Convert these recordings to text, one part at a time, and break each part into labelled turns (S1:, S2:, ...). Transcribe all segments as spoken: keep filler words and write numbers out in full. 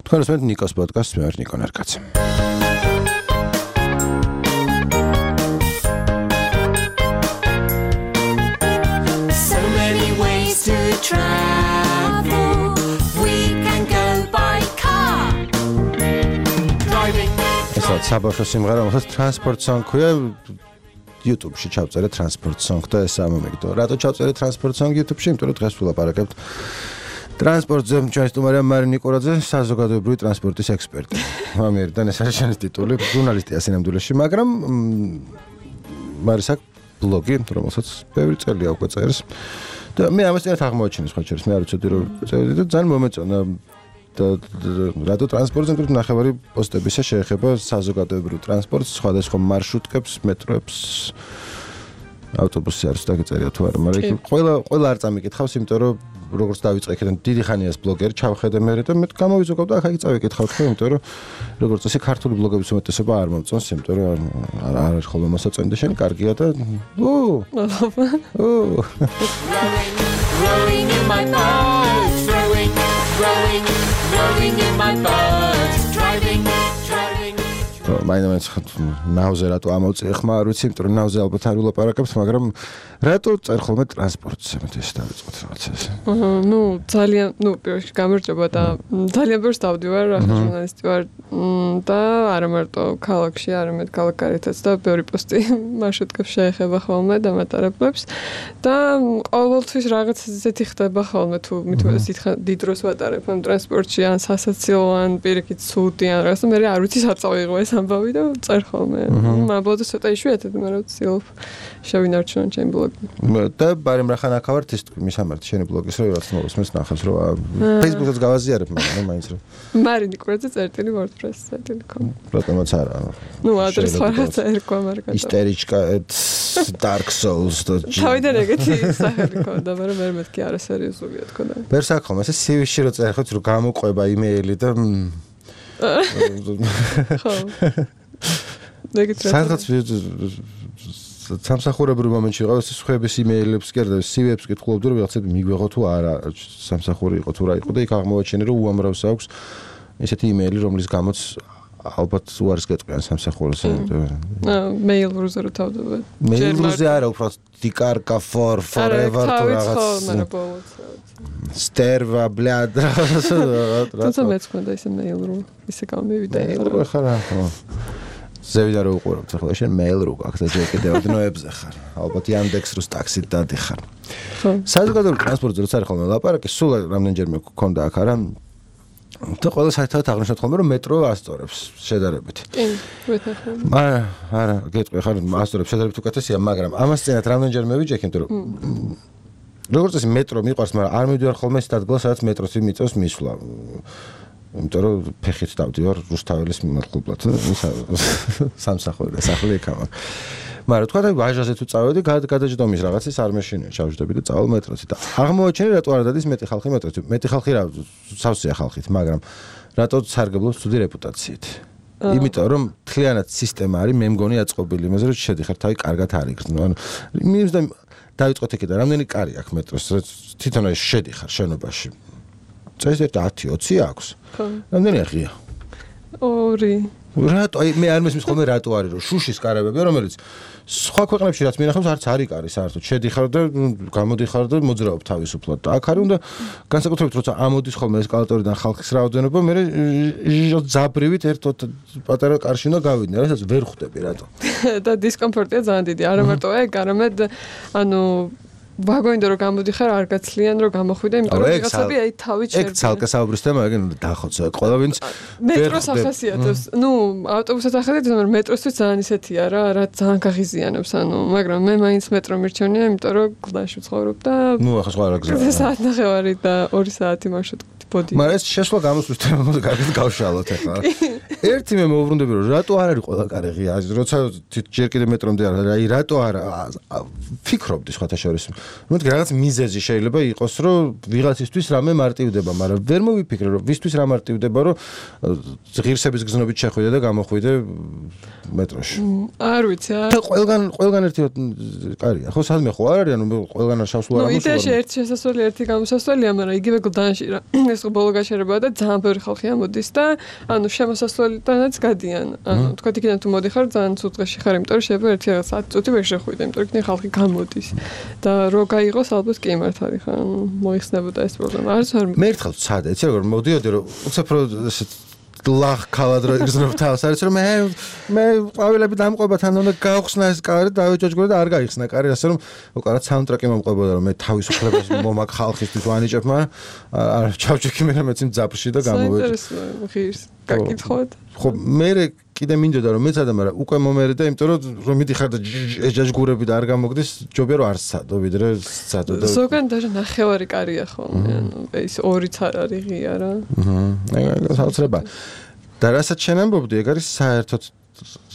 S1: თქვენ უსმენთ ნიკოს პოდკასტს, მე ვარ ნიკო ნარკაცი.
S2: So many ways to travel. We can go by car. Driving.
S1: ესაა საბავშვო სიმღერა, რომელსაც Transport Song ქვია. YouTube-ში ჩავწერე Transport Song და ესაა მომიგდო. რატო ჩავწერე Transport Song YouTube-ში? იმიტომ რომ დღეს ვილაპარაკებთ ტრანსპორტზე, ჩვენი სტუმარია მარინე ნიკორაძე, საზოგადოებრივი ტრანსპორტის ექსპერტი. ამერიდან ეს არის შენი ტიტული, ჟურნალისტია სინამდვილეში, მაგრამ მარის აქვს ბლოგი, რომელსაც ბევრი წელია უკვე წერს. და მე ამას წინათ აღმოაჩინე სხვა შორის, მე არ ვიცოდი რომ წევდი და ძალიან მომეწონა და რადო ტრანსპორტზე მკვიდრ ნახევარი პოსტებისა შეეხება საზოგადოებრივ ტრანსპორტს, სხვადასხვა მარშრუტკებს, მეტროებს, ავტობუსი არის დაგეწერია თუ არა, მაგრამ ყველა ყველა არ წამიკითხავს, იმიტომ რომ როგორც დავიწყე იქიდან დიდი ხანიას ბლოგერი ჩავხედე მე და მე გამოვიზოგავ და ახლა წავიკითხავ თქვენ, იმიტომ რომ როგორც წესი ქართული ბლოგების უმეტესობა არ მომწონს, იმიტომ რომ არ არის ხოლმე მოსაწონი და შენი კარგია და უ უ
S2: Rowing in my boat, rowing, rowing, rowing in my boat, driving, driving.
S1: მაინც ნავზე რატო ამოვწე ხმა არ ვიცი, იმიტომ რომ ნავზე ალბათ არ ვილაპარაკებთ, მაგრამ რატო წერ ხოლმე ტრანსპორტზე მე ეს დავიწყოთ რაღაცა ეს.
S3: აჰა, ნუ ძალიან, ნუ პირველში გამარჯობა და ძალიან ბევრს დავდივარ, ახლა ჟურნალისტი ვარ და არა მარტო ქალაქში, არამედ ქალაქგარეთაც და ბევრი პოსტი მარშრუტკებს შეეხება ხოლმე და მატარებლებს და ყოველთვის რაღაც ისეთი ხდება ხოლმე თუ მithumedes დიდ დროს ვატარებ ამ ტრანსპორტში ან სასაცილო ან პირიქით ცუდი ან რაღაცა მე არ ვიცი სად წავიღო ეს ამბავი და წერ ხოლმე. მაბლოდა ცოტა იშვიათად, მაგრამ ვცდილობ შევინარჩუნო ჩემი ბლოგი.
S1: და ბარემ რახან აქავართ ის მისამართი შენი ბლოგის რო რაც მოსმენს ნახავს რომ Facebook-ს გავაზიარებ მაგრამ მაინც რომ
S3: მარინე ნიკორაძე წერტილი WordPress წერტილი com.
S1: რატომაც არა.
S3: ნუ ადრეს ხარაც ერქვა მაგრამ
S1: ისტერიჩკა Dark Souls და
S3: თავიდან ეგეთი სახელი ქონდა, მაგრამ მე მეთქი არა სერიოზულია თქო და.
S1: ვერ საქომ ეს სი-ვიში რო წერხოთ რომ გამოყვება იმეილი და
S3: ხო. ეგეთ რა.
S1: სადღაც სამსახურებრივ მომენტში ვიყავ, ეს სხვების იმეილებს კი არა და სი-ვიებს კითხულობდი რომ ვიღაცები მიგვეღო თუ არა, სამსახური იყო თუ რა იყო და იქ აღმოაჩინე რომ უამრავს აქვს ესეთი იმეილი, რომლის გამოც ალბათ უარს გეტყვიან სამსახურს.
S3: აა მეილ-რუზე რო თავდება.
S1: მეილ-რუზე არა, უბრალოდ დიკარკა for forever თუ რაღაც. სტერვა ბლად.
S3: თუმცა მეც მქონდა ისე მეილ-რო, ისე გამივიდა.
S1: მეილ-რო ხარა, ხო. ზევიდა რო უყურებთ ახლა შენ მეილ-რო გაქვს და ჯერ კიდევ ოდნოებზე ხარ. ალბათ Yandex რუს ტაქსით დადიხარ.
S3: ხო.
S1: საზოგადოებრივ ტრანსპორტზე როცა არის ხოლმე ლაპარაკი, სულ რამდენჯერმე გქონდა აქ არა და ყველა საერთოდ აღნიშნავთ ხოლმე რომ მეტრო ასწორებს შედარებით.
S3: კი, ვეთახე.
S1: არა, არა, გეტყვი ხარ ასწორებს შედარებით უკეთესია, მაგრამ ამას წინათ რამდენჯერმე ვიჯექი, იმიტომ რომ როგორც წესი მეტრო მიყვარს, მაგრამ არ მივდივარ ხოლმე ის ადგილას, სადაც მეტროსი მიწევს მისვლა. იმიტომ რომ ფეხით დავდივარ რუსთაველის მიმართულებლად სამსახური სახლი იქამა. მაგრამ თქვა და ვაჟაზე თუ წავედი, გადაჯდომის რაღაცის არ მეშინია, ჩავჯდები და წავალ მეტროში და აღმოაჩინე რატო არ დადის მეტი ხალხი მეტროში. მეტი ხალხი რა სავსეა ხალხით, მაგრამ რატო სარგებლობს ცუდი რეპუტაციით. იმიტომ რომ თლიანად სისტემა არის, მე მგონი აწყობილი იმაზე რომ შედიხარ თავი კარგად არ იგრძნო. ანუ მინიმუმ და დავიწყოთ იქიდან, რამდენი კარი აქვს მეტროს, თვითონ ეს შედიხარ შენობაში. წესით ათი ოცი აქვს.
S3: ხო.
S1: რამდენია ღია?
S3: ორი.
S1: რატო აი მე არ მესმის ხოლმე რატო არის რომ შუშის კარებები რომელიც სხვა ქვეყნებში რაც მინახავს არც არის კარი საერთოდ შედიხარ და გამოდიხარ და მოძრაობ თავისუფლად და აქ არის უნდა განსაკუთრებით როცა ამოდის ხოლმე ესკალატორიდან ხალხის რაოდენობა მე ზაბრივით ერთ პატარა კარში უნდა გავიდნენ რასაც ვერ ხვდები რატო
S3: და დისკომფორტია ძალიან დიდი არა მარტო ეგ არამედ ანუ ვაგონიდან რომ გამოდიხარ არ გაცლიან რომ გამოხვიდე იმიტომ რომ ვიღაცები აი თავით
S1: შევიდა ეგ ცალკე საუბრის თემა ეგ დახოცე ყველა ვინც
S3: მეტროს ახასიათებს ნუ ავტობუსად ახასიათებს მაგრამ მეტროსთვის ძალიან ისეთია რა რა ძალიან გაღიზიანებს ანუ მაგრამ მე მაინც მეტრო მირჩენია იმიტომ რომ გლდანში ვცხოვრობ და
S1: ნუ ახლა სხვა რა გზაა
S3: საათ ნახევარი და ორი საათი მარშრუტი ბოდი
S1: მაგრამ ეს შესვლა გამოსვლის თემა მოდი კარგად გავშალოთ ახლა ერთი მე მოვუბრუნდები რომ რატო არ არის ყველა კარი ღია როცა ჯერ კიდე მეტრომდე არა აი რატო არა ფიქრობდი სხვათა შორის მოდი რაღაც მიზეზი შეიძლება იყოს რომ ვიღაცისთვის რამე მარტივდება მაგრამ ვერ მოვიფიქრე რომ ვისთვის რა მარტივდება რომ ღირსების გზნობით შეხვიდე და გამოხვიდე მეტროში
S3: არ ვიცი
S1: და ყველგან ყველგან ერთი კარია ხო სადმე ხო არ არის ანუ ყველგან არ შავსულა
S3: რა მოსულა ნუ იდეაში ერთი შესასვლელი ერთი გამოსასვლელია მაგრამ იგივე გლდანში რა ეს დღე ბოლო გაჩერებაა და ძალიან ბევრი ხალხი ამოდის და ანუ შემოსასვლელიდანაც გადიან. ანუ თქვა იქიდან თუ მოდიხარ ძალიან ცუდ დღეში ხარ, იმიტომ რომ შეიძლება ერთი რაღაც ათი წუთი ვერ შეხვიდე, იმიტომ რომ იქიდან ხალხი გამოდის. და რო გაიღოს ალბათ კი მართალი ხარ, მოიხსნებოდა ეს პრობლემა. არც არ
S1: მე ერთხელ ვცადე, იცი როგორ მოდიოდი რომ უცებ რო ლახ ქალადრო იგრძნობ თავს, არის რომ მე მე ყვავილები დამყვება თან უნდა გაუხსნა ეს კარი და დავეჭოჭგო და არ გაიხსნა კარი, ასე რომ უკან რა საუნდტრეკი მომყვებოდა რომ მე თავისუფლებას მომაკ ხალხისთვის ვანიჭებ, მაგრამ არ ჩავჭიქი მე მეც იმ ძაფში და გამოვეჭ.
S3: ღირს გაკითხოთ.
S1: ხო მე კიდე მინდოდა რომ მეცადა, მაგრამ უკვე მომერე და იმიტომ რომ რომ მიდიხარ და ეჯაჯგურები და არ გამოგდის, ჯობია რომ არ სცადო ვიდრე სცადო და
S3: ზოგან даже ნახევარი კარია ხოლმე, ანუ ეს ორიც არ არის ღია რა.
S1: აჰა, ეგ საოცრება. და რასაც შენ ამბობდი, ეგ არის საერთოდ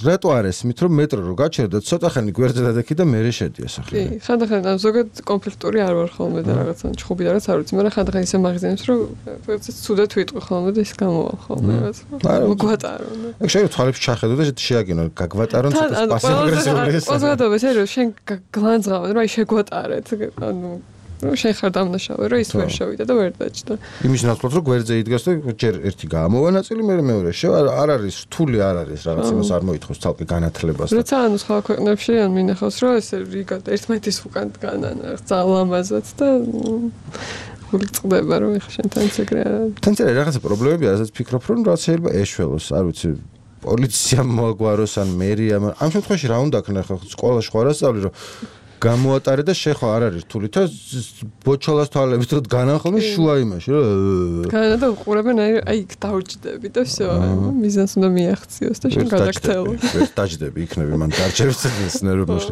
S1: რატო არ ესმით რომ მეტრო რო გაჩერდა ცოტა ხანი გვერდზე დადექი და მე შედი ასახი.
S3: კი, ხანდახან ან ზოგადად კონფლიქტური არ ვარ ხოლმე და რაღაცა ჩხუბი და რაღაც არ ვიცი, მაგრამ ხანდახან ისე მაგზენებს რომ რაღაცა ცუდად ვიტყვი ხოლმე და ის გამოვა ხოლმე რაღაც. მოგვატარო.
S1: ეგ შეიძლება თვალებში ჩახედო და შეაგინო, გაგვატარონ ცოტა პასიվ-აგრესიული ეს.
S3: პოზადობა ეს რომ შენ გლანძღავენ, რომ აი შეგვატარეთ, ანუ რომ შენ ხარ დამნაშავე, რომ ის ვერ შევიდა და ვერ დაჭდა.
S1: იმის ნაცვლად რომ გვერდზე იდგას და ჯერ ერთი გამოვა ნაწილი, მე მეორე შევა, არ არის რთული არ არის რაღაც იმას არ მოითხოვს ცალკე განათლებას.
S3: როცა ანუ სხვა ქვეყნებში ან მინახავს რომ ეს რიგა ერთმანეთის უკან დგანან ძალიან ლამაზად და გული წდება რომ ეხა შენთან ეს ეგრე არა.
S1: თან წერა რაღაცა პრობლემები არის, ფიქრობ რომ რაც შეიძლება ეშველოს, არ ვიცი, პოლიციამ მოაგვაროს ან მერიამ. ამ შემთხვევაში რა უნდა ქნა ხო სკოლაში ხო არასწავლი რომ გამოატარე და შეხო არ არის რთული და ბოჩოლას თვალებით რომ განახოლმე შუა იმაში რომ
S3: განა და უყურებენ აი აი იქ დავჭდები და всё მიზანს უნდა მიაღწიოს და შენ გადაგწელო
S1: ეს დაჭდები იქნები მან დარჩევს ნერვებში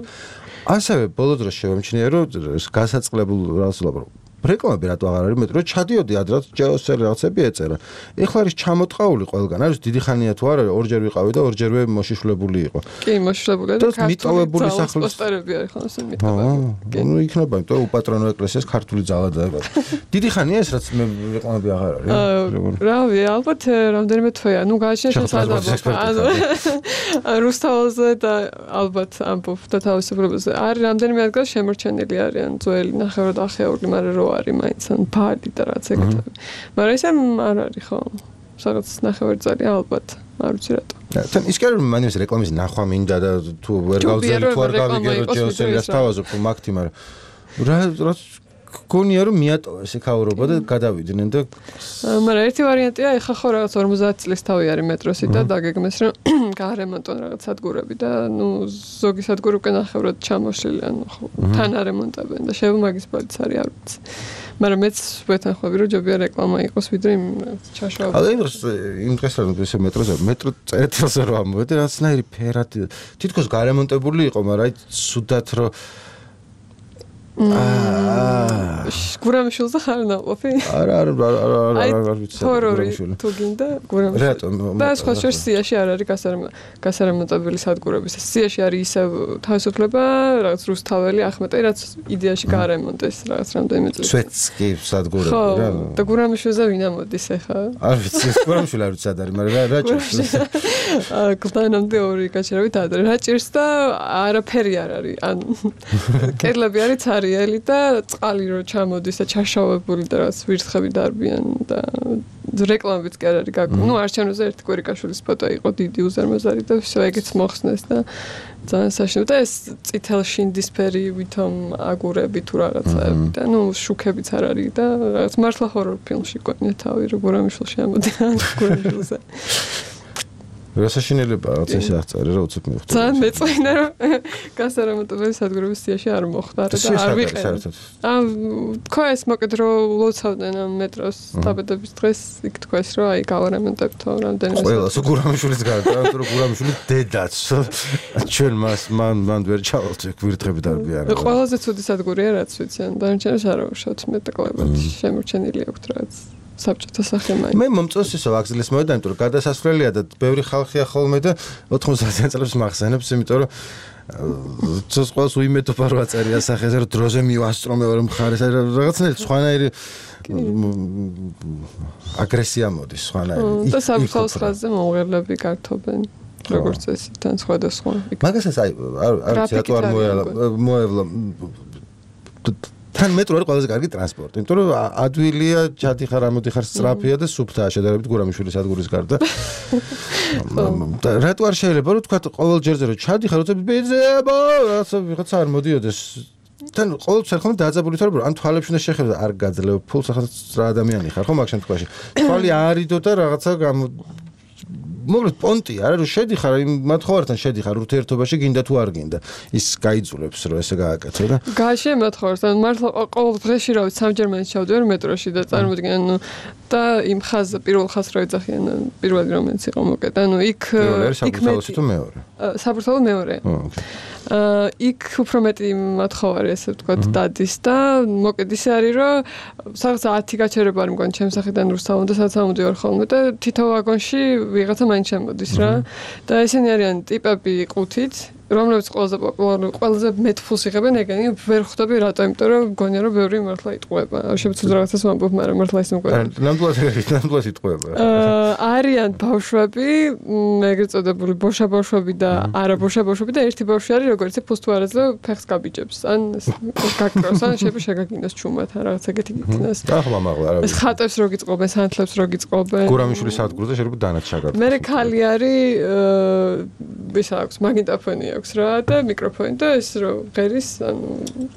S1: ასევე ბოლო დროს შევამჩნია რომ გასაწყლებულ რას ვსულობ რეკლამები რატო აღარ არის მეტრო ჩადიოდი ადრე ჯეოსერ რაღაცები ეწერა ეხლა არის ჩამოტყაული ყველგან არის დიდი ხანია თუ არა ორჯერ ვიყავი და ორჯერვე მოშიშვლებული იყო
S3: კი მოშიშვლებული და
S1: მიტოვებული სახლის
S3: პოსტერები არის ხოლმე ეს მიტოვებული
S1: ნუ იქნება იმიტომ უპატრონო ეკლესიას ქართული ძალა დაება დიდი ხანია ეს რაც მე რეკლამები აღარ არის
S3: რავი ალბათ რამდენიმე თვეა ნუ გააჩნია შესაძლებლობა ანუ რუსთავზე და ალბათ ამბობ და თავისუფლებაზე არის რამდენიმე ადგილას შემორჩენილი არიან ძველი ნახევრად ახეული მაგრამ რო არის მაინც ან ფალი და რაც ეგეთები. მაგრამ ესე არ არის ხო? რაღაც ნახევარწარი ალბათ, არ ვიცი რატო.
S1: თან ის კი რომ მან ის რეკლამის ნახვა მინდა და თუ ვერ გავძელი თუ არ გავიგერო ჯეოსერიას თავაზობ თუ მაგთი, მაგრამ რა რა გონია რომ მიატოვა ეს ქაურობა და გადავიდნენ და
S3: მაგრამ ერთი ვარიანტია ეხა ხო რაღაც ორმოცდაათი წლის თავი არის მეტროსი და დაგეგმეს რომ გაარემონტონ რაღაც სადგურები და ნუ ზოგი სადგური უკვე ნახევრად ჩამოშლილი ანუ ხო თან არემონტებენ და შეიძლება მაგის ბალიც არის არ ვიცი მაგრამ მეც ვეთანხმები რომ ჯობია რეკლამა იყოს ვიდრე იმ ჩაშავება
S1: აი იმ დროს იმ დღეს რომ ეს მეტროზე მეტრო წერეთელზე რომ ამოვედი რაღაცნაირი ფერად თითქოს გარემონტებული იყო მაგრამ აი სუდათ რომ აა
S3: გურამიშვილზე ხარ ნაყოფი?
S1: არა არა არა არა არ ვიცი
S3: გურამიშვილი. თუ გინდა გურამიშვილი.
S1: რატომ?
S3: და სხვა შორს სიაში არ არის გასარემონტებელი სადგურები. სიაში არის ისე თავისუფლება, რაღაც რუსთაველი, ახმეტი, რაც იდეაში გაარემონტეს რაღაც რამდენიმე წელი.
S1: სვეტსკი სადგურები რა.
S3: და გურამიშვილზე ვინ ამოდის ახლა?
S1: არ ვიცი, გურამიშვილი არ ვიცი ადარი, მაგრამ რა რა ჭირს?
S3: აა კლდანამდე ორი გაჩერებით ადრე. რა ჭირს და არაფერი არ არის. ან კედლები არის ელი და წყალი რო ჩამოდის და ჩაშავებული და რაც ვირთხები დარბიან და რეკლამებიც კი არ არის გაკეთებული. ნუ არჩევნოზე ერთი კვირიკაშვილის ფოტო იყო დიდი უზარმაზარი და всё ეგეც მოხსნეს და ძალიან საშინო და ეს წითელ შინდისფერი ვითომ აგურები თუ რაღაცები და ნუ შუქებიც არ არის და რაღაც მართლა ჰორორ ფილმში გონია თავი რო გურამიშვილში ამოდიან გურამიშვილზე
S1: რასაშინელება რაც ესე აღწერე რა უცებ მივხვდი.
S3: ძალიან მეწვენა რომ გასარემონტებელი სადგურების სიაში არ მოხდა და არ ვიყენე. ამ თქვა ეს მოკეთ რომ ლოცავდნენ ამ მეტროს დაბადების დღეს იქ თქვა ეს რომ აი გავარემონტებთო რამდენიმე
S1: ყველა გურამიშვილის გარდა რომ გურამიშვილი დედაც ჩვენ მას მან მან ვერ ჩავალთ გვირთხები დარბიან.
S3: ყველაზე ცუდი სადგურია რაც ვიცი ან დანარჩენებს არ ავშავთ მე და კლებად შემორჩენილი აქვს რაც საბჭოთა სახე მაინც.
S1: მე მომწონს ისო ვაგზლის მოედა, იმიტომ რომ გადასასვლელია და ბევრი ხალხია ხოლმე და ოთხმოცდაათი წლებს მახსენებს, იმიტომ რომ ცოს ყველს უიმედობა რო აწერია სახეზე რომ დროზე მივასწრო მე ვერ მხარეს რაღაცნაირი სხვანაირი აგრესია მოდის სხვანაირი.
S3: და საფრთხოს ხაზზე მომღერლები გართობენ. როგორც ეს თან სხვადასხვა.
S1: მაგასაც აი არ არ ვიცი რატო არ მოელა მოევლა თან მეტრო არის ყველაზე კარგი ტრანსპორტი, იმიტომ რომ ადვილია, ჩადიხარ, ამოდიხარ, სწრაფია და სუფთაა შედარებით გურამიშვილის სადგურის გარდა. რატო არ შეიძლება რომ თქვა ყოველ ჯერზე რომ ჩადიხარ, როცა ბიძება, რაღაცა ვიღაცა არ მოდიოდეს. თან ყოველთვის ხომ დაძაბული თორე რომ ან თვალებში უნდა შეხედო და არ გაძლევ ფულს ახლა რა ადამიანი ხარ ხო მაგ შემთხვევაში თვალი არიდო და რაღაცა მოკლედ პონტი არა რომ შედიხარ იმ მათხოვართან შედიხარ ურთიერთობაში გინდა თუ არ გინდა ის გაიძულებს რომ ესე გააკეთო და
S3: გაშე მათხოვართან მართლა ყოველ დღეში რა ვიცი სამჯერ მაინც ჩავდივარ მეტროში და წარმოვიდგენ ანუ და იმ ხაზზე პირველ ხაზს რა ეძახიან პირველი რომელიც იყო მოკეთ ანუ იქ იქ
S1: მეტი თუ მეორე
S3: საბურთალო მეორე აა იქ უფრო მეტი მათხოვარი ესე ვთქვათ დადის და მოკეთ ისე არის რომ სადღაც ათი გაჩერება არ მგონი ჩემს სახელიდან რუსთავამდე სადაც ამოდივარ ხოლმე და თითო ვაგონში ვიღაცა მაინც შემოდის რა და ესენი არიან ტიპები ყუთით რომლებიც ყველაზე პოპულარული ყველაზე მეტ ფულს იღებენ ეგენი ვერ ხვდები რატო იმიტომ რომ მგონია რომ ბევრი მართლა იტყუება შეცუდ რაღაცას ვამბობ მაგრამ მართლა ის მგონია
S1: ნამდვილად ნამდვილად იტყუება
S3: არიან ბავშვები ეგრეთ წოდებული ბოშა ბავშვები და არა ბოშა ბავშვები და ერთი ბავშვი არის როგორც ფულს თუ არ აძლევ ფეხს გაბიჯებს ან გაკრავს ან შეიძლება შეგაგინოს ჩუმად ან რაღაც ეგეთი გიქნას
S1: ახლა მაღლა არა
S3: ეს ხატებს რო გიწყობენ სანთლებს რო გიწყობენ
S1: გურამიშვილის სადგურზე შეიძლება დანაჩაგად
S3: მე ხალი არის ის აქვს მაგნიტოფონი აქვს რა და მიკროფონი და ეს რო ღერის ანუ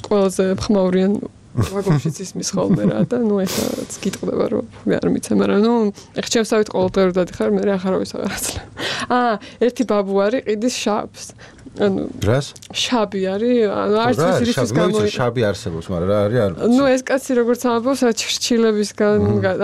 S3: ყველაზე ხმაურიან ვაგონშიც ისმის ხოლმე რა და ნუ ეხლაც გიტყდება რომ მე არ მიცე მაგრამ ნუ ეხ ჩემსავით ყოველდღე რომ დადიხარ მე ახარავის აღარ აცლებ აა ერთი ბაბუ არის ყიდის შაბს ანუ
S1: რას
S3: შაბი არის ანუ არც ის რისის გამო
S1: შაბი არსებობს მაგრამ რა არის არ
S3: ნუ ეს კაცი როგორც ამბობს რა ჩრჩილებისგან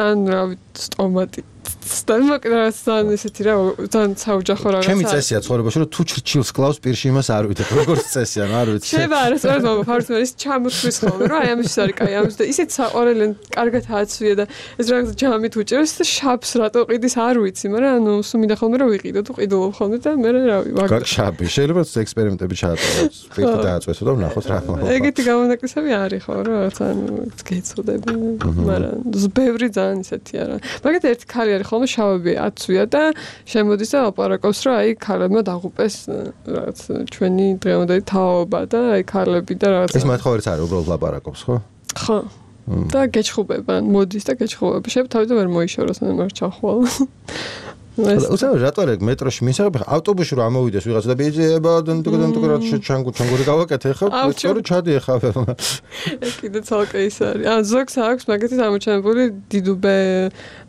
S3: ან რა სტომატი სტამაკრასთან ესეთი რა ძალიან საოჯახო რაღაცა.
S1: ჩემი წესია ცხოვრებაში რომ თუ ჩრჩილს კლავს პირში იმას არ ვიცი როგორც წესია, არ ვიცი.
S3: შეიძლება არა სწორედ მოგ ფარსმენ ის ჩამოთვლის ხოლმე რა აი ამის არის კაი ამის და ისეთ საყორელენ კარგად აცვია და ეს რაღაცა ჯამით უჭერს და შაბს რატო ყიდის არ ვიცი, მაგრამ ანუ სულ მინდა ხოლმე რომ ვიყიდო თუ ყიდულობ ხოლმე და მე რავი ვაგ
S1: შაბი შეიძლება ექსპერიმენტები ჩაატაროთ, პირი დააწვესო და ვნახოთ რა მოხდება.
S3: ეგეთი გამონაკლისები არის ხო რა რაღაცა ანუ გეცოდები, მაგრამ ბევრი ძალიან ისეთი არა. მაგათ ერთი ქალი არის ხოლმე შავები აცვია და შემოდის და აპარაკობს რომ აი ქალებმა დაღუპეს რაღაც ჩვენი დღევანდელი თაობა და აი ქალები და რაღაც
S1: ეს მათხოვარიც არის უბრალოდ ლაპარაკობს ხო?
S3: ხო. და გეჩხუბება, მოდის და გეჩხუბება. შეიძლება თავიდან ვერ მოიშოროს, ან არ ჩახვალ.
S1: უცებ რატო არის მეტროში მისაღები ავტობუსში რომ ამოვიდეს ვიღაცა და ბიძება დონტოგონტოგრად ჩანგუ ჩანგური გავაკეთე ხო? სწორი ჩადი ეხავ.
S3: ეს კიდე ცალკე ის არის. ან ზოგს აქვს მაგათი ამოჩენებული დიდუბე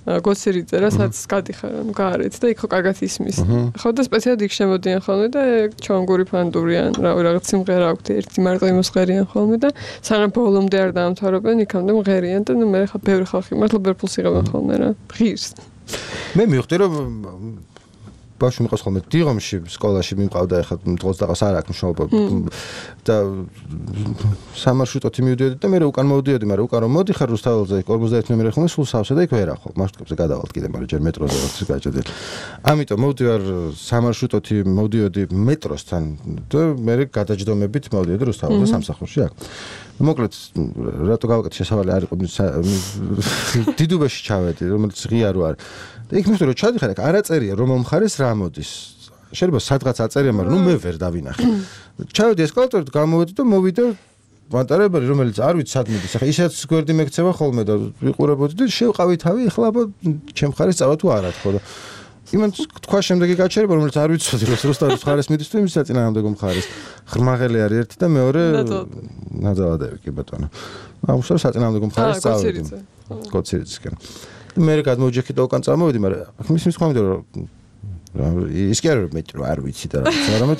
S3: გოცირიძე რა სადაც გადიხარ ანუ გაარეთ და იქ ხო კარგად ისმის. ხო და სპეციალურად იქ შემოდიან ხოლმე და ჩანგური ფანდურიან რა რაღაც სიმღერა აქვს ერთი მარტო იმოსღერიან ხოლმე და სანამ ბოლომდე არ დაამთავრებენ იქამდე მღერიან და ნუ მე ხა ბევრი ხალხი მართლა ბევრ ფულს იღებენ ხოლმე რა. ღირს.
S1: მე მივხვდი რომ ბავშვი მიყავს ხოლმე დიღომში სკოლაში მიმყავდა ახლა დღეს დაღას არ აქვს მშობა და სამარშრუტოთი მივდიოდი და მე უკან მოვდიოდი მაგრამ უკან რომ მოდიხარ რუსთაველზე ორმოცდაერთი ნომერი ხოლმე სულ სავსე და იქ ვერ ახვალ მარშრუტებზე გადავალთ კიდე მაგრამ ჯერ მეტროზე ვარ გაჭედი ამიტომ მოვდივარ სამარშრუტოთი მოვდიოდი მეტროსთან და მე გადაჯდომებით მოვდიოდი რუსთაველზე სამსახურში აქ მოკლედ რატო გავაკეთე შესავალი არ იყო დიდუბეში ჩავედი რომელიც ღია რო არის და იქ მივხვდი რომ ჩადიხარ აქ არ აწერია რომელ მხარეს რა მოდის შეიძლება სადღაც აწერია მაგრამ ნუ მე ვერ დავინახე ჩავედი ესკალატორით გამოვედი და მოვიდა მატარებელი რომელიც არ ვიცი სად მიდის ახლა ისაც გვერდი მეკცევა ხოლმე და ვიყურებოდი და შევყავი თავი ახლა აბა ჩემ მხარეს წავა თუ არა თქო და იმან თქვა შემდეგი გაჩერება რომელიც არ ვიცოდი რომ რუსთავის მხარეს მიდის თუ იმის საწინააღმდეგო მხარეს ღრმაღელი არის ერთი და მეორე ნაძალადები კი ბატონო აუშავ საწინააღმდეგო მხარეს წავედი გოცირიცკენ მე გადმოვიჯექი და უკან წამოვედი მაგრამ აქ მის მისხვამდი რომ ის კი არ მეტრო არ ვიცი და რაღაც მაგრამ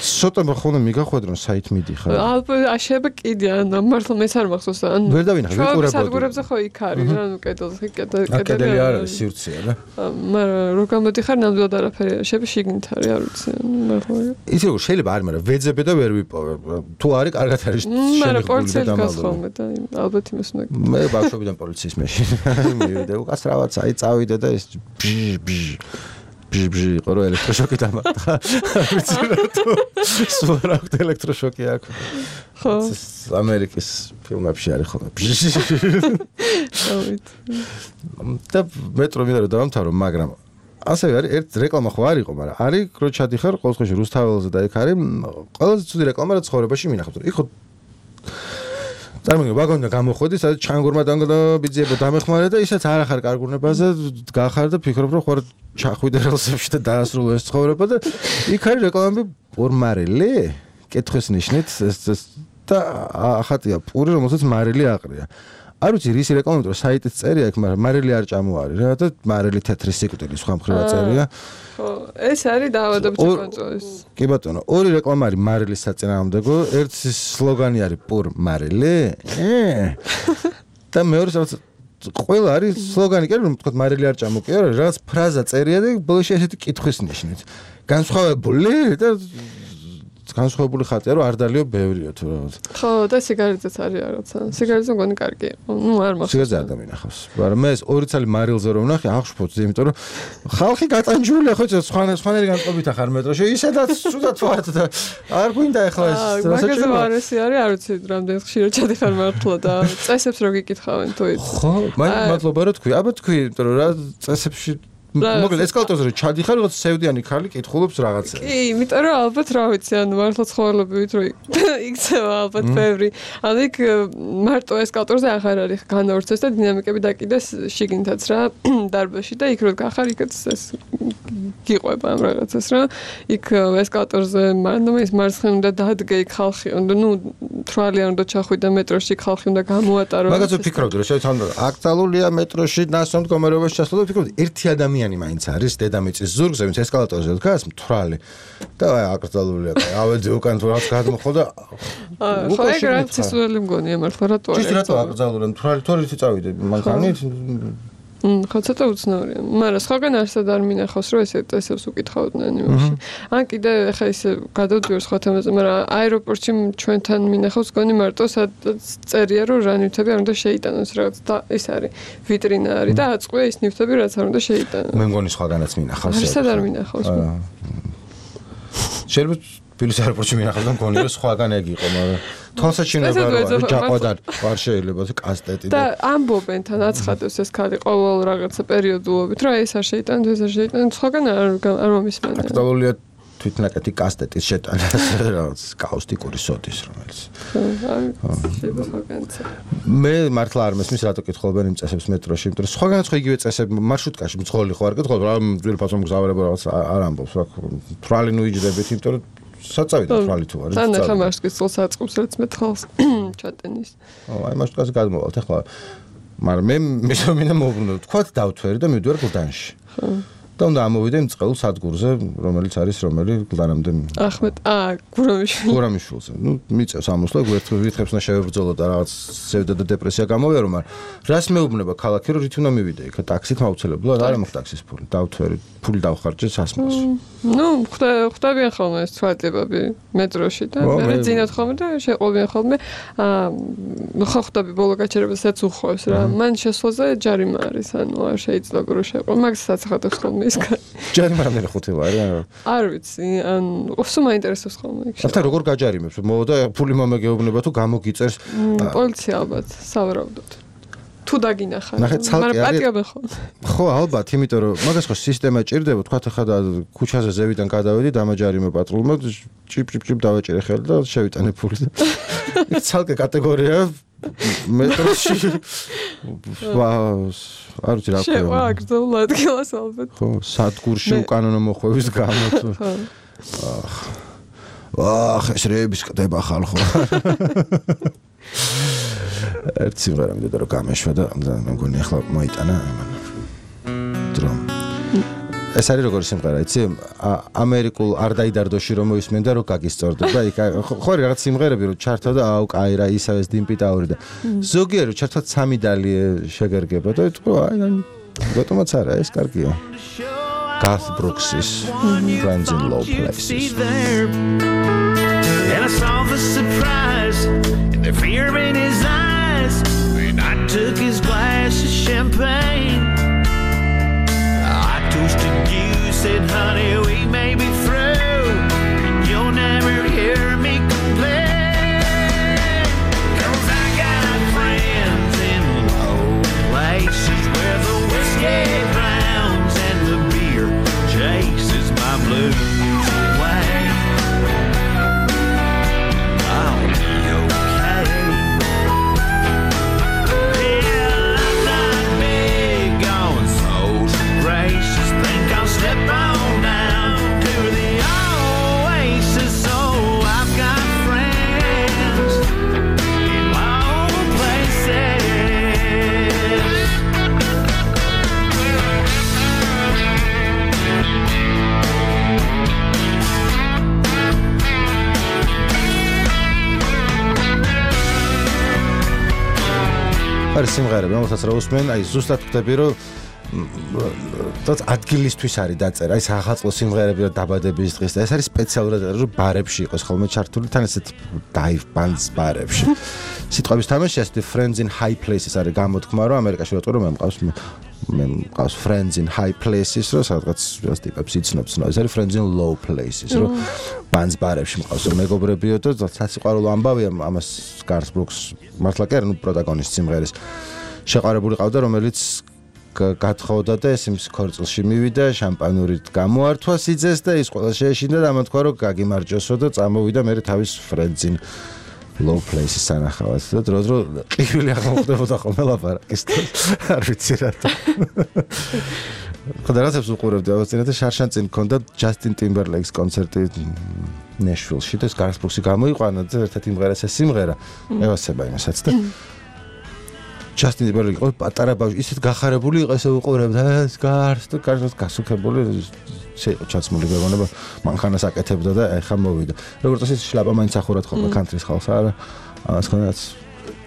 S1: სოტა ხოლმე მიგახვედრონ საით მიდიხარ
S3: ალბათ შეიძლება კიდე ან მართლა მეც არ მახსოვს ან
S1: ვერ დავინახე ვიყურებოდი
S3: სადგურებზე ხო იქ არის რა ნუ კედელზე კედელი
S1: კედელი არ არის სივრცეა რა
S3: მაგრამ რო გამოდიხარ ნამდვილად არაფერი შეიძლება შიგნით არის არ ვიცი მართლა
S1: ის როგორ შეიძლება არის მაგრამ ვეძებე და ვერ ვიპოვე თუ არის კარგად არის
S3: მაგრამ პოლიცია გას ხოლმე და ალბათ იმას უნდა
S1: მე ბავშვობიდან პოლიციის მეში მივიდე უკასრავად აი წავიდე და ეს ბჟ ბჟ ბჟ იყო რომ ელექტროშოკი დამატა ვიცი რატო სულ რა აქვს ელექტროშოკი აქ ხო ამერიკის ფილმებში არის ხოლმე ბჟ და მეტრო მინდა რომ დავამთავრო მაგრამ ასევე არის ერთ რეკლამა ხო არ იყო მაგრამ არის რო ჩადიხარ ყოველ შემთხვევაში რუსთაველზე და იქ არის ყველაზე ცუდი რეკლამა რაც ცხოვრებაში მინახავთ იქ ხო წარმოგიდგენთ ვაგონიდან გამოხვედი, სადაც ჩანგურმა ბიძიებო დამეხმარე და ისაც არ ახარ კარგურნებაზე გახარ და ფიქრობ რომ ხوار ჩახვიდე რელსებში და დაასრულო ეს ცხოვრება და იქ არის რეკლამები პორმარელი, კითხვის ნიშნით და ახატია პური, რომელსაც მარილი აყრია. არ ვიცი რის რეკლამები რო საიტის წერია იქ, მაგრამ მარილი არ ჭამოარი რა და მარილი თეთრი სიკვდილი სხვა მხრივ წერია.
S3: ხო, ეს არის დაავადებითი კონტროლის.
S1: კი ბატონო, ორი რეკლამა არის მარილის საწინააღმდეგო, ერთი სლოგანი არის პურ მარილი. და მეორე სადაც ყველა არის სლოგანი კი რომ თქვა მარილი არ ჭამო კი არა, რაღაც ფრაზა წერია და ბოლოში ესეთი კითხვის ნიშნით. განსხვავებული და განსხვავებული ხატია რომ არ დალიო ბევრია თუ რაღაც.
S3: ხო, და სიგარეტიც არის რაღაცა. სიგარეტზე მგონი კარგი. ნუ არ მახსოვს.
S1: სიგარეტზე არ დამინახავს. მაგრამ მე ეს ორი წელი მარილზე რომ ვნახე, აღშფოთზე, იმიტომ რომ ხალხი გატანჯულია ხო, სხვა სხვანაირი განწყობით ახარ მეტროში. ისედაც სულად ვართ და არ გვინდა ახლა ეს
S3: რაღაცა მარესი არის, არ ვიცი რამდენი ხშირად ჩადიხარ მართლა და წესებს რო გიკითხავენ თუ იცი.
S1: ხო, მაინც მადლობა რა თქვი. აბა თქვი, იმიტომ რომ რა წესებში მოკლედ ესკალატორზე რომ ჩადიხარ, რაღაც სევდიანი ხალი კითხულობს რაღაცა.
S3: კი, იმიტომ რომ ალბათ რა ვიცი, ანუ მართლა ცხოველებივით რომ იქცევა ალბათ ბევრი. ანუ იქ მარტო ესკალატორზე აღარ არის განავრცეს და დინამიკები დაკიდეს შიგნითაც რა დარბაზში და იქ რო გახარ, იქაც ეს გიყვება ამ რაღაცას რა. იქ ესკალატორზე მანდ ის მარცხნივ უნდა დადგე იქ ხალხი, ნუ თვალი არ უნდა ჩახვიდე მეტროში, ხალხი უნდა გამოატარო.
S1: მაგაზე ვფიქრობდი რომ შეიძლება აკრძალულია მეტროში ნასტომ მდგომარეობაში ჩასვლა და ვფიქრობდი ერთი ადამიანი მაინც არის დედამიწის ზურგზე, ვინც ესკალატორზე დგას, მთვრალი. და აი აკრძალულია, ავედი უკან თუ რაღაც გადმოხდა და
S3: ხო, ეგ რაც ისველი მგონია მართლა რატო არის?
S1: ის რატო აკრძალულია, მთვრალი თორითი წავიდე მანქანით?
S3: ხო, ცოტა უცნაურია. მაგრამ სხვაგან არსად არ მინახავს, რომ ესე წესებს უკითხავდნენ იმაში. ან კიდე ხა ისე გადავდივარ სხვა თემაზე, მაგრამ აეროპორტში ჩვენთან მინახავს გონი მარტო სადაც წერია, რომ რა ნივთები არ უნდა შეიტანოს, რაღაც და ეს არის ვიტრინა არის და აწყვია ის ნივთები, რაც არ უნდა შეიტანოს.
S1: მე მგონი სხვაგანაც მინახავს.
S3: არსად არ მინახავს.
S1: შეიძლება თბილისის აეროპორტში მინახავს და მგონი რომ სხვაგან ეგ იყო, მაგრამ თვალსაჩინოება რო არის, ჯაყოდარ არ შეიძლება კასტეტი
S3: და ამბობენ თან აცხადებს ეს ქალი ყოველ რაღაცა პერიოდულობით, რომ ეს არ შეიტანოთ, ეს არ შეიტანოთ, სხვაგან არ არ მომისმენია.
S1: აკრძალულია თვითნაკეთი კასტეტის შეტანა, რაღაც კაუსტიკური სოდის, რომელიც.
S3: შეიძლება სხვაგანაც.
S1: მე მართლა არ მესმის რატო კითხულობენ იმ წესებს მეტროში, იმიტომ რომ სხვაგანაც ხო იგივე წესები მარშრუტკაში მძღოლი ხო არ კითხულობ, რა ძვირფასო მგზავრება რაღაც არ ამბობს, რა თვალი ნუ იჯდებით, იმიტომ რომ საწავიდა თვალი თუ არის.
S3: თან ახლა მარშრუტკის წელს აწყობს რაც მე თვალს ჩატენის.
S1: ო, აი მარშრუტკაზე გადმოვალთ ახლა. მაგრამ მე მესომინა მოვბრუნო, თქვათ დავთვერი და მივდივარ გლდანში. ხო. და უნდა ამოვიდე იმ წყეულ სადგურზე, რომელიც არის რომელი გლდანამდე.
S3: ახმეტ, აა, გურამიშვილი.
S1: გურამიშვილზე. ნუ მიწევს ამოსვლა, გვერდ ვითხებს უნდა შევებრძოლო და რაღაც სევდა და დეპრესია გამოვიარო, მაგრამ რას მეუბნება ქალაქი, რომ რით უნდა მივიდე იქ, ტაქსით მაუცილებლად არ მაქვს ტაქსის ფული. დავთვერი, ფული დავხარჯე სასმელს.
S3: ნუ ხვდებიან ხოლმე ეს თვალებები მეტროში და მე ძინავთ ხოლმე და შეყვებიან ხოლმე. აა, ხო ხვდები ბოლო გაჩერებასაც უხვევს რა. მან შესვლაზე ჯარიმა არის, ანუ არ შეიძლება რომ შეყვო. მაგასაც ახადებს ხოლმე ის კაცი.
S1: ჯარიმა რამდენი ხუთი ვარ რა.
S3: არ ვიცი, ან უსო მაინტერესებს ხოლმე იქ.
S1: ახლა როგორ გაჯარიმებს? მოვიდა ფული მომეგეუბნება თუ გამოგიწერს.
S3: პოლიცია ალბათ, სავარაუდოდ. თუ დაგინახა.
S1: მაგრამ
S3: პატიობენ ხოლმე.
S1: ხო, ალბათ, იმიტომ რომ მაგას ხო სისტემა ჭირდება, თქვა ხა და ქუჩაზე ზევიდან გადავედი, დამაჯარიმე პატრულმა, ჭიპ ჭიპ ჭიპ დავაჭერე ხელი და შევიტანე ფული. იქ ცალკე კატეგორია მეტროში. არ ვიცი რა ქვია.
S3: შევა აკრძალულ ადგილას ალბათ.
S1: ხო, სადგურში უკანონო მოხვევის გამო თუ. აх, ეს რეების კდება ხალხო. ერთ სიმღერა მინდა რომ გამეშვა და მე მგონი ახლა მოიტანა დრო. ეს არის როგორი სიმღერა, იცი? ამერიკულ არ დაიდარდოში რომ მოისმენ და რომ გაგისწორდება. იქ ხო არის რაღაც სიმღერები რომ ჩართო და აუ კაი რა ისევ ეს დიმპიტაური და ზოგიერთი რომ ჩართო სამი დალი შეგერგება და თქო აი ბატონაც არა ეს კარგია. Garth Brooks' Friends in Low Places.
S4: And I saw the surprise and the fear in his eyes when I took his glass of champagne. I toasted you, said, honey, we may be through, and you'll never hear me complain. 'Cause I got friends in low places where the whiskey drowns and the beer chases my blues away. I'll be okay.
S1: არის სიმღერები, რომელსაც რა უსმენ, აი ზუსტად ხვდები, რომ თოთ ადგილისთვის არის დაწერა, ის ახალწლო სიმღერები და დაბადების დღის და ეს არის სპეციალურად რომ ბარებში იყოს ხოლმე ჩართული, თან ესეთ dive bands ბარებში. სიტყვების თამაში ასეთი Friends in High Places არის გამოთქმა, რომ ამერიკაში რატო რომ მყავს მე მყავს Friends in High Places, რომ სადღაც ტიპებს იცნობს, ეს არის Friends in Low Places, რომ bands ბარებში მყავს მეგობრებიო და სასიყვარულო ამბავია ამას Garth Brooks მართლა კი არა, ნუ პროტაგონისტი სიმღერის შეყარებული ყავდა, რომელიც გათხოვდა და ეს იმის ქორწილში მივიდა, შამპანურით გამოართვა სიძეს და ის ყველა შეეშინდა და ამათქვა რომ გაგიმარჯოსო და წამოვიდა მე თავის Friends in Low Places სანახავად და დრო-დრო ყივილი აღმოხდებოდა ხოლმე ლაპარაკის და არ ვიცი რატო. ხოდა რაცებს უყურებდი ავასწინე და შარშან წინ მქონდა Justin Timberlake-ის კონცერტი Nashville-ში და Garth Brooks-ი გამოიყვანა და ერთად იმღერა ეს სიმღერა. ევასება იმასაც და Justin Timberlake იყო პატარა ბავშვი, ისეთ გახარებული იყო, ესე უყურებდა ეს Garth და Garth გასუქებული შეიყო ჩაცმული გეგონება, მანქანას აკეთებდა და ეხა მოვიდა. როგორც ის შლაპა მაინც ახურად ხოლმე country-ის ხალხს არა, ამას ხონაც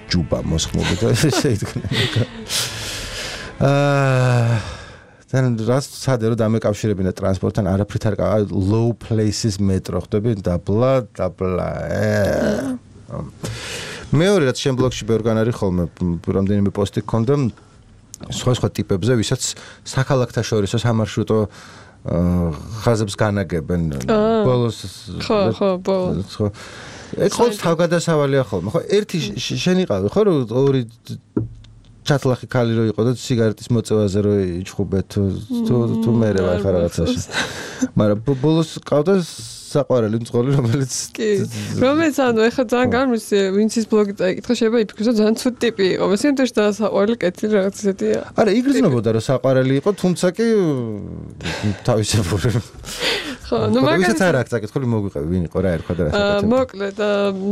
S1: ჯუბა მოსხმობდი და ესე იდგნენ. აა თან რას სადე რომ დამეკავშირებინა ტრანსპორტთან არაფრით არ low places metro ხდები დაბლა დაბლა მეორე რაც შენ ბლოგში ბევრგან არის ხოლმე რამდენიმე პოსტი გქონდა სხვა სხვა ტიპებზე ვისაც საქალაქთა შორისო სამარშრუტო ხაზებს განაგებენ ბოლოს
S3: ხო ხო ბოლოს
S1: ხო ეს ყოველთვის თავგადასავალია ხოლმე ხო ერთი შენ იყავი ხო რომ ორი ჩათლახი ქალი რო იყო და სიგარეტის მოწევაზე რო იჩხუბე თუ თუ მე რა ხარ რაღაცაში მაგრამ ბოლოს ყავდა საყვარელი მძღოლი რომელიც
S3: კი რომელიც ანუ ეხლა ძალიან გამიცი ვინც ის ბლოგი წაიკითხა შეიძლება იფიქროს რომ ძალიან ცუდი ტიპი იყო მესენტერს და საყვარელი კეთილი რაღაც ისეთია
S1: არა იგრძნობოდა რომ საყვარელი იყო თუმცა კი თავისებური
S3: ხო ნუ მაგას
S1: არ აქვს საკითხული მოგვიყევი ვინ იყო რა ერქვა და რა
S3: საკითხი მოკლედ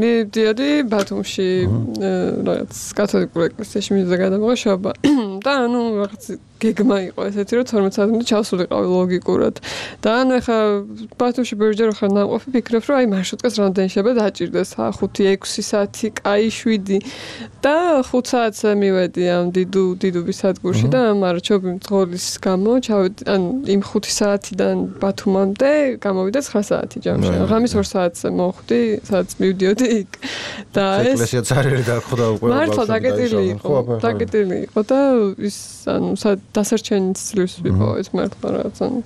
S3: მიდიოდი ბათუმში რაღაც კათოლიკურ ეკლესიაში მიდიოდა გადამოღება და ანუ რაღაც გეგმა იყო ესეთი რომ თორმეტ საათამდე ჩავსულიყავი ლოგიკურად და ანუ ეხა ბათუმში ბევრჯერ ხარ ნამყოფი ფიქრობ რომ აი მარშრუტკას რამდენი შეიძლება დაჭირდეს ხუთი ექვსი საათი კაი შვიდი და ხუთ საათზე მივედი ამ დიდუ დიდუბის სადგურში და მაგრამ ჩობი მძღოლის გამო ჩავედი ან იმ ხუთი საათიდან ბათუმამდე გამოვიდა ცხრა საათი ჯამში ღამის ორ საათზე მოვხვდი სადაც მივდიოდი იქ და ეს
S1: ეკლესია წარიერი დახვდა უკვე
S3: მართლა დაკეტილი იყო დაკეტილი იყო და ის ანუ დასარჩენიც ცდილობს ვიყო ეს მართლა რაღაც ანუ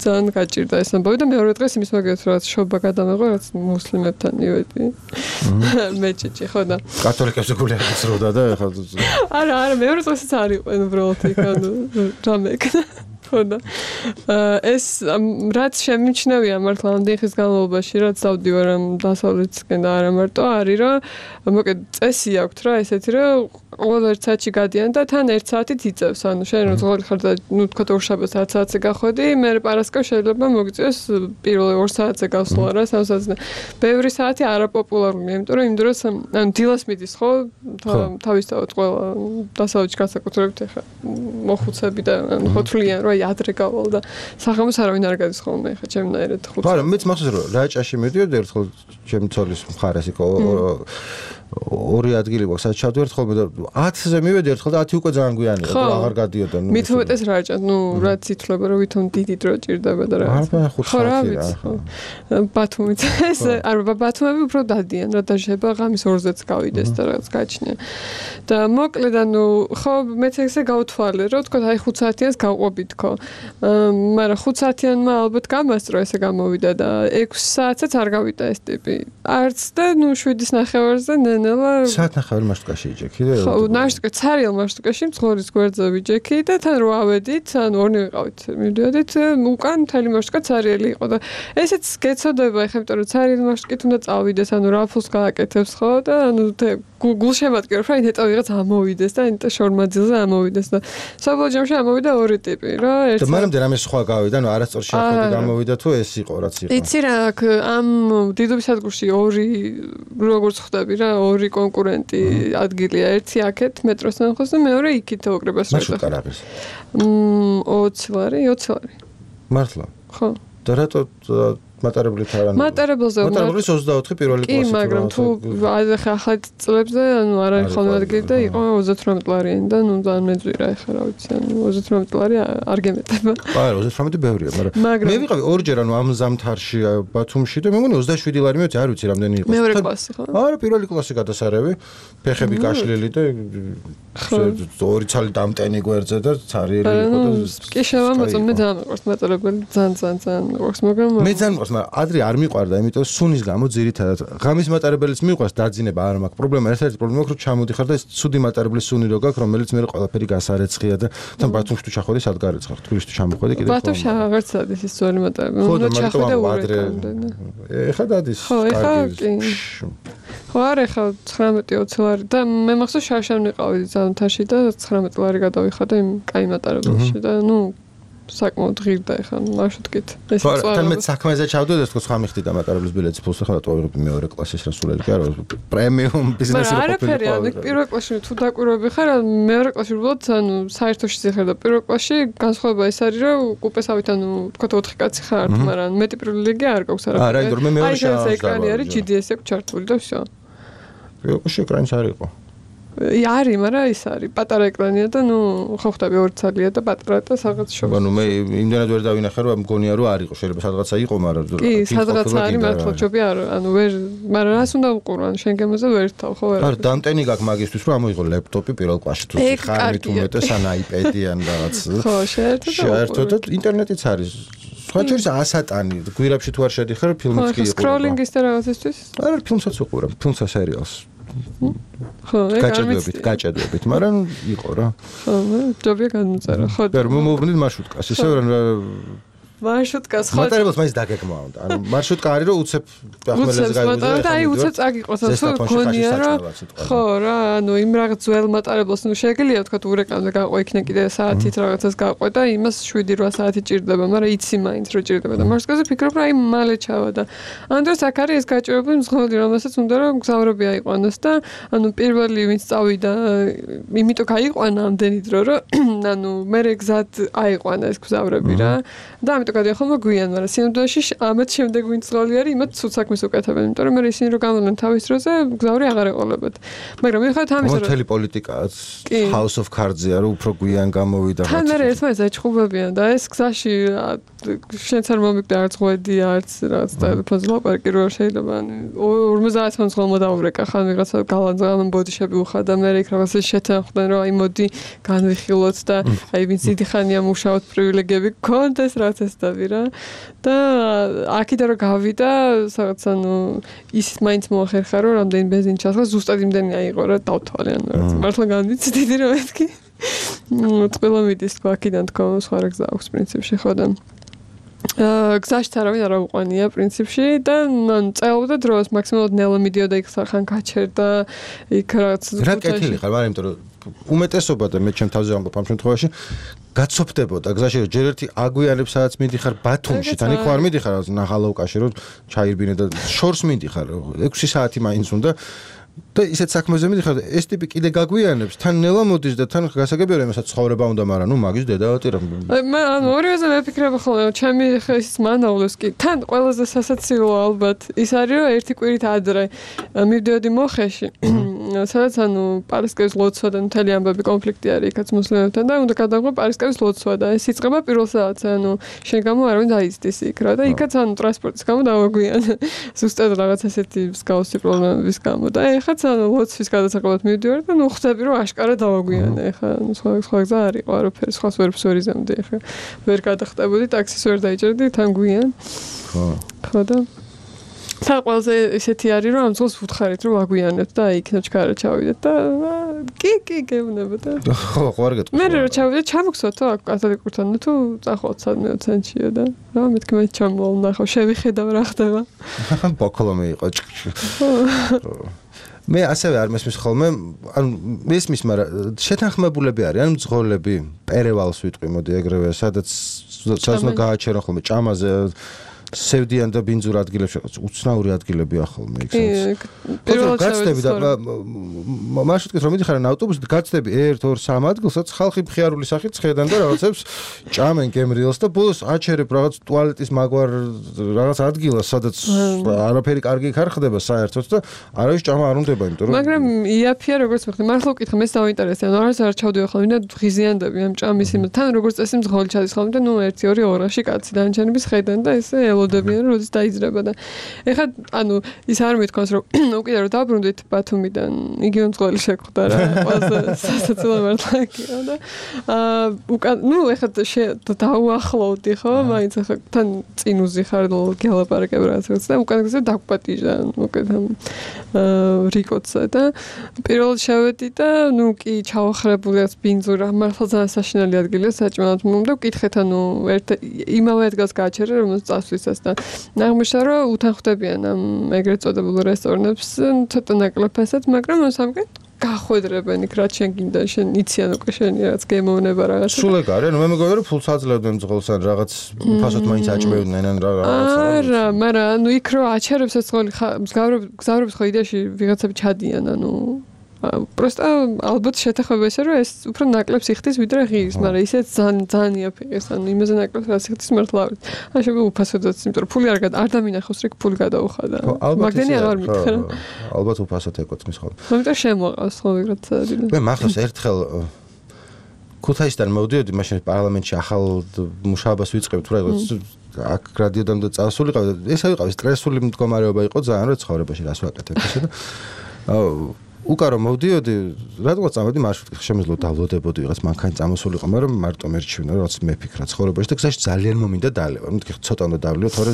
S3: ძალიან გაჭირდა ეს ამბავი და მეორე დღეს იმის მაგათ რაღაც შობა გადამეღო რაღაც მუსლიმებთან მივედი მეჭიჭი ხო და
S1: კათოლიკებს გული აღწროდა და ხა
S3: არა არა მეორე დღესაც არ იყვენ უბრალოდ იქ ანუ რამეკნა ხოდა ეს რაც შემიჩნევია მართლა ამდენი ხის განმავლობაში რაც დავდივარ ამ დასავლეთისკენ და არა მარტო არის რომ მოკედ წესი აქვს რა ესეთი რომ ყოველ ერთ საათში გადიან და თან ერთ საათით იწევს ანუ შენ რო ზღოლი ხარ და ნუ თქვა ორშაბათს ათ საათზე გახვედი მე პარასკევს შეიძლება მოგიწევს პირველ ორ საათზე გავსვლა რა სამ საათზე ბევრი საათი არაპოპულარულია იმიტომ რომ იმ დროს ანუ დილას მიდის ხო თავისთავად ყველა დასავლეთში განსაკუთრებით ეხა მოხუცები და ანუ ხოთლიან რა ადრე გავალ და საღამოს არავინ არ გადის ხოლმე ხა ჩემნაირად ხუთი.
S1: არა, მეც მახსოვს რომ რაჭაში მიდიოდი ერთხელ ჩემი ცოლის მხარეს იყო ორი ადგილი გვაქვს სადაც ჩავდივართ ხოლმე და ათზე მივედი ერთხელ და ათი უკვე ძალიან გვიანი იყო აღარ გადიოდა ნუ
S3: მით უმეტეს რაჭა ნუ რაც ითვლება რომ ვითომ დიდი დრო ჭირდება და რა
S1: ხო რა ვიცი
S3: ხო ბათუმიც ეს არა ბათუმები უფრო დადიან რა და შეიძლება ღამის ორზეც გავიდეს და რაღაც გაჩნია და მოკლედ ანუ ხო მეც ესე გავთვალე რომ თქო აი ხუთ საათიანს გავყვებით თქო მაგრამ ხუთ საათიანმა ალბათ გამასწრო ესე გამოვიდა და ექვსი საათსაც არ გავიდა ეს ტიპი არც და ნუ შვიდის ნახევარზე ნელა
S1: საათ ნახევარი მარშრუტკაში იჯექი და
S3: ხო მარშრუტკა ცარიელ მარშრუტკაში მძღოლის გვერდზე ვიჯექი და თან რო ავედით ან ორნი ვიყავით მივდიოდით უკან მთელი მარშრუტკა ცარიელი იყო და ესეც გეცოდება ეხლა იმიტომ რომ ცარიელი მარშრუტკით უნდა წავიდეს ანუ რაფულს გააკეთებს ხო და ანუ გულშემატკივრებ რა ინეტო ვიღაც ამოვიდეს და ინტა შორმაძილზე ამოვიდეს და საბოლოო ჯამში ამოვიდა ორი ტიპი რა
S1: და მანამდე რამე სხვა გავიდა ნუ არასწორ შეხედი გამოვიდა თუ ეს იყო რაც იყო
S3: იცი რა ამ დიდუბის სადგურში ორი როგორც ხვდები რა ორი კონკურენტი ადგილია ერთი აქეთ მეტროსთან ხოს და მეორე იქით ოკრებას რა
S1: მარშრუტკა რა არის
S3: მ ოცი ლარი ოცი ლარი
S1: მართლა
S3: ხო
S1: და რატო მატარებლით არ არის.
S3: მატარებელზე
S1: მატარებლის ოცდაოთხი პირველი
S3: კი,
S1: კლასი.
S3: მაგრამ თუ ახლა ახლა წლებზე, ანუ არ არის ხოლმე ადგილი და იყო ოცდათვრამეტ ლარიანი და ნუ ძალიან მეძვირა ახლა რა ვიცი, ანუ ოცდათვრამეტ ლარი არ გემეტება.
S1: არა, ოცდათვრამეტი ბევრია, მაგრამ მე ვიყავი ორჯერ ანუ ამ ზამთარში ბათუმში და მე მგონი ოცდაშვიდი ლარი მეც არ ვიცი რამდენი იყო.
S3: მეორე კლასი ხო?
S1: არა, პირველი კლასი გადასარევი, ფეხები გაშლილი და ორი ცალი დამტენი გვერდზე და цаრიელი იყო და
S3: კი შევამოწმე, მე ძალიან მიყვარს მატარებელი, ძალიან ძალიან ძალიან მიყვარს, მაგრამ
S1: მე ძალიან მიყვარს, მაგრამ ადრე არ მიყვარდა, იმიტომ სუნის გამო ძირითადად ღამის მატარებელიც მიყვარს, დაძინება არ მაქვს პრობლემა, ერთ-ერთი პრობლემა აქვს, რომ ჩამოდიხარ და ეს ცუდი მატარებლის სუნი რო გაქვს, რომელიც მე ყველაფერი გასარეცხია და თან ბათუმში თუ ჩახვედი, სად გარეცხარ, თბილისში თუ ჩამოხვედი კიდე.
S3: ბათუმში აღარც სადის ის ძველი მატარებელი. უნდა ჩახვიდე
S1: ადრე. ეხლა დადის.
S3: ხო, ეხლა კი. ხო, არა, ეხლა ცხრამეტი ოცი ლარი და მე მახსოვს შარშან ვიყავი ზამთარში და ცხრამეტი ლარი გადავიხადა იმ კაი მატარებელში და ნუ საკმაოდ ღირდა ეხლა მარშრუტკით. ეს
S1: წვარო. თან მე საქმეზე ჩავდოდი, თქო სხვა მიხდი და მატარებლის ბილეთის ფულს ახლა დავიღებ მეორე კლასის რა სულელი კი არა, პრემიუმ ბიზნესი
S3: რა ყოფილი. არა, პირველ კლასში თუ დაკვირვები ხარ, მეორე კლასში უბრალოდ ანუ საერთოში ზიხარ და პირველ კლასში განსხვავება ეს არის, რომ კუპესავით ანუ თქო ოთხი კაცი ხარ, მაგრამ მეტი პრივილეგია არ გაქვს არა.
S1: არა, იმიტომ რომ მე მეორე
S3: შანსი ეკრანი არის ჯი დი ესი აქვს ჩართული და всё.
S1: პირველ კლასში ეკრანიც არ იყო.
S3: არის, მაგრამ ის არის პატარა ეკრანია და ნუ ხო ხვდები ორი ცალია და პატარა და რაღაც შორის.
S1: ანუ მე იმდენად ვერ დავინახე რომ მგონია რომ არ იყო, შეიძლება სადღაცა იყო, მაგრამ
S3: კი, სადღაცა არის მართლა ჯობი არ, ანუ ვერ, მაგრამ რას უნდა უყურო, ანუ შენ გემოზე ვერ თავ, ხო ვერ.
S1: არა, დამტენი გაქვს მაგისთვის რომ ამოიღო ლეპტოპი პირველ კლასში თუ ხარ თუ მეტეს ან აიპედი ან რაღაც.
S3: ხო, შეერთო და
S1: შეერთო და ინტერნეტიც არის. სხვა შორის ასატანი, გვირაბში თუ არ შედიხარ, ფილმიც კი იყო.
S3: სკროლინგის და რაღაცისთვის?
S1: არა, ფილმსაც უყურებ, ფილმს და სერიალს.
S3: ხო,
S1: გაჭედებით, გაჭედებით, მაგრამ იყო რა.
S3: ხო, ჯობია გადმოწერა. ხო.
S1: და მომოვნით მარშრუტკას, ისე რომ
S3: მარშრუტკას ხო.
S1: მატარებელს მაინც დაგეგმვა უნდა. ანუ მარშრუტკა არის რომ უცებ ახმელეზე
S3: გაიგზავნა. და აი უცებ წაგიყოს, თუ გონია რომ ხო რა, ანუ იმ რაღაც ძველ მატარებელს ნუ შეგიძლია თქვა ურეკანზე გაყვე იქნა კიდე საათით რაღაცას გაყვე და იმას შვიდი რვა საათი ჭირდება, მაგრამ იცი მაინც რომ ჭირდება და მარშრუტკაზე ფიქრობ რომ აი მალე ჩავა და ამ დროს აქ არის ეს გაჭირებული მსხვილი, რომელსაც უნდა რომ გზავრები აიყვანოს და ანუ პირველი ვინც წავიდა, იმიტომ გაიყვანა ამდენი დრო რომ ანუ მე გზად აიყვანა ეს გზავრები რა. და ამიტომ გადაიხომა გვიან, მაგრამ სინამდვილეში ამათ შემდეგ ვინც ძღოლი არის, იმათ ცუდ საქმეს უკეთებენ, იმიტომ რომ მე ისინი რო გამოდენ თავის დროზე, გზავრი აღარ ეყოლებათ. მაგრამ მიხედავთ ამისა, რომ
S1: მთელი პოლიტიკაც House of Cards-ია, რომ უფრო გვიან გამოვიდა.
S3: თან მე ერთმანეთს აჩხუბებიან და ეს გზაში შენც არ მომიგდა არც ღვედი, არც რაღაც ტელეფონზე ლაპარაკი რო შეიძლება, ანუ ორმოცდაათი მომძღოლმა დაურეკა, ხან ვიღაცა გალანძღალან ბოდიშები უხადა, მე იქ რაღაცა შეთანხმდნენ, რომ აი მოდი განვიხილოთ და აი ვინც დიდი ხანია მუშაობთ პრივილეგიები გქონდეს რა წესდები რა და აქედან რომ გავიდა რაღაც ანუ ის მაინც მოახერხა რომ რამდენი ბენზინი ჩასხა ზუსტად იმდენი აიღო რა დავთვალე ანუ რაღაც მართლა განვიცი დიდი რომ მეთქი ყველა მიდის თქვა აქედან თქვა სხვა რა გზა აქვს პრინციპში ხო და აა გზაში არავინ არ აუყვანია პრინციპში და მან წელობდა დროს მაქსიმალურად ნელა მიდიოდა იქ ხან გაჩერდა იქ რაღაც
S1: რა კეთილი ხარ მაგრამ იმიტომ რომ უმეტესობა და მე ჩემ თავზე ვამბობ ამ შემთხვევაში გაცოფდებოდა გზაში რომ ჯერ ერთი აგვიანებს სადაც მიდიხარ ბათუმში თან იქ არ მიდიხარ ნახალოვკაში რომ ჩაირბინე და შორს მიდიხარ ექვსი საათი მაინც უნდა და ისეთ საქმეზე მიდიხარ ეს ტიპი კიდე გაგვიანებს თან ნელა მოდის და თან გასაგებია რომ ესაც ცხოვრება უნდა მაგრამ ნუ მაგის დედავატირა
S3: მე ანუ ორიოზე მეფიქრება ხოლმე ჩემი ხეს მანავლოს კი თან ყველაზე სასაცილო ალბათ ის არის რომ ერთი კვირით ადრე მივდიოდი მოხეში სადაც ანუ პარასკევის ლოცვა და მთელი ამბები კონფლიქტი არის იქაც მუსლიმებთან და უნდა გადავღო პარასკევის ლოცვა და ეს იწყება პირველ საათზე ანუ შენ გამო არავინ დაიწდის იქ რა და იქაც ანუ ტრანსპორტის გამო დავაგვიანე ზუსტად რაღაც ესეთი მსგავსი პრობლემების გამო და ეხაც ანუ ლოცვის გადასაყრად მივდივარ და ნუ ხვდები რომ აშკარა დავაგვიანე ეხა სხვა სხვა გზა არ იყო არაფერი სხვა სვერფს ვერ იზამდი ეხა ვერ გადახტებოდი ტაქსის ვერ დაიჭერდი თან გვიან ხო ხო და საყვალზე ისეთი არის რომ ამ ძღოლს ვუთხარით რომ აგვიანებთ და იქნა ჩქარა ჩავიდეთ და კი კი გეუბნება და
S1: ხო ხო არ გეტყვი
S3: მე რო ჩავიდეთ ჩამოგსვათო აქ კათოლიკურთან თუ წახვალ სადმე ოცენჩია და რა მეთქი მე ჩამოვალ ნახავ შევიხედავ რა ხდება
S1: ბოკლომი იყო მე ასევე არ მესმის ხოლმე ანუ მესმის მაგრამ შეთანხმებულები არის ანუ ძღოლები პერევალს ვიტყვი მოდი ეგრევე სადაც სადაც გააჩერონ ხოლმე ჭამაზე სევდიან და ბინძურ ადგილებში უცნაური ადგილებია ხოლმე იქ სადაც
S3: პირველად
S1: გაცდები და მარშრუტკით რომ მიდიხარ ავტობუსით გაცდები ერთ ორ სამ ადგილსაც ხალხი მხიარული სახით ხედან და რაღაცებს ჭამენ გემრიელს და ბოლოს აჩერებ რაღაც ტუალეტის მაგვარ რაღაც ადგილას სადაც არაფერი კარგი არ ხდება საერთოდ და არავის ჭამა არ უნდება იმიტომ რომ
S3: მაგრამ იაფია როგორც მეხი მართლა ვკითხე მე დავინტერესდა ანუ არც არ ჩავდივარ ხოლმე და ღიზიანდები ამ ჭამის იმ თან როგორც წესი მძღოლი ჩადის ხოლმე და ნუ ერთი ორი ორაში კაცი დანარჩენების ხედან და ესე ელოდებიან როდის დაიძრება და ეხლა ანუ ის არ მithქვას რომ უკიდე რომ დაბრუნდით ბათუმიდან იგივე მძღოლი შეგვხდა რა ყველაზე სასაცილო მართლა იქია და აა უკან ნუ ეხლა დავუახლოვდი ხო მაინც ეხლა თან წინ უზიხარ გელაპარაკებ რაღაც და უკან გზა დაგვპატიჟა უკეთ აა რიკოცა და პირველად შევედი და ნუ კი ჩავახრებული აქვს ბინძურა მართლა ძალიან საშინელი ადგილია საჭმელად მომდა ვკითხეთ ანუ ერთ იმავე ადგილს გააჩერე რომელსაც წასვლისას და აღმოჩნდა რომ უთან ხვდებიან ამ ეგრეთ წოდებულ რესტორნებს ცოტა ნაკლებასაც მაგრამ სამკეთ გახვედრებენ იქ რაც შენ გინდა შენ იციან უკვე შენი რაღაც გემოვნება რაღაცა
S1: სულ ეგ არის ნუ მე მეგონა რომ ფულს აძლევდნენ ძღოლს ან რაღაც ფასოთ მაინც აჭმევდნენ ან რაღაცა
S3: არა მაგრამ ანუ იქ რო აჩერებს ეს ძღოლი გზავრებს ხო იდეაში ვიღაცები ჩადიან ანუ просто ალბათ შეთანხმება ესე რომ ეს უფრო ნაკლებს იხდის ვიდრე ღირს მაგრამ ისეც ძალიან ძალიან იაფიღეს ანუ იმაზე ნაკლებს რაც იხდის მართლა არ ვიცი ან შეიძლება უფასოდაც იმიტომ რომ ფული არ არ დამინახავს რიგ ფული გადაუხადა მაგდენი აღარ მითხრა
S1: ალბათ უფასოდ ეკუთვნის ხოლმე
S3: მაგრამ შემოყავს ხო ვიღაცა
S1: მე მახავს ერთხელ ქუთაისიდან მოვდიოდი მაშინ პარლამენტში ახალ მუშაობას ვიწყებთ რა აქ რადიოდან და წასულიყავ ეს ავიყავ სტრესული მდგომარეობა იყო ძალიან რა ცხოვრებაში რას ვაკეთებ ესე და უკარო მოვდიოდი რადგან წამოდი მარშრუტით შემეძლო დავლოდებოდი ვიღაც მანქანი წამოსულიყო მაგრამ მარტო მერჩვენა რაც მეფიქრა ცხოვრებაში და გზაში ძალიან მომინდა დალევა მეთქი ცოტა უნდა დავლიო თორე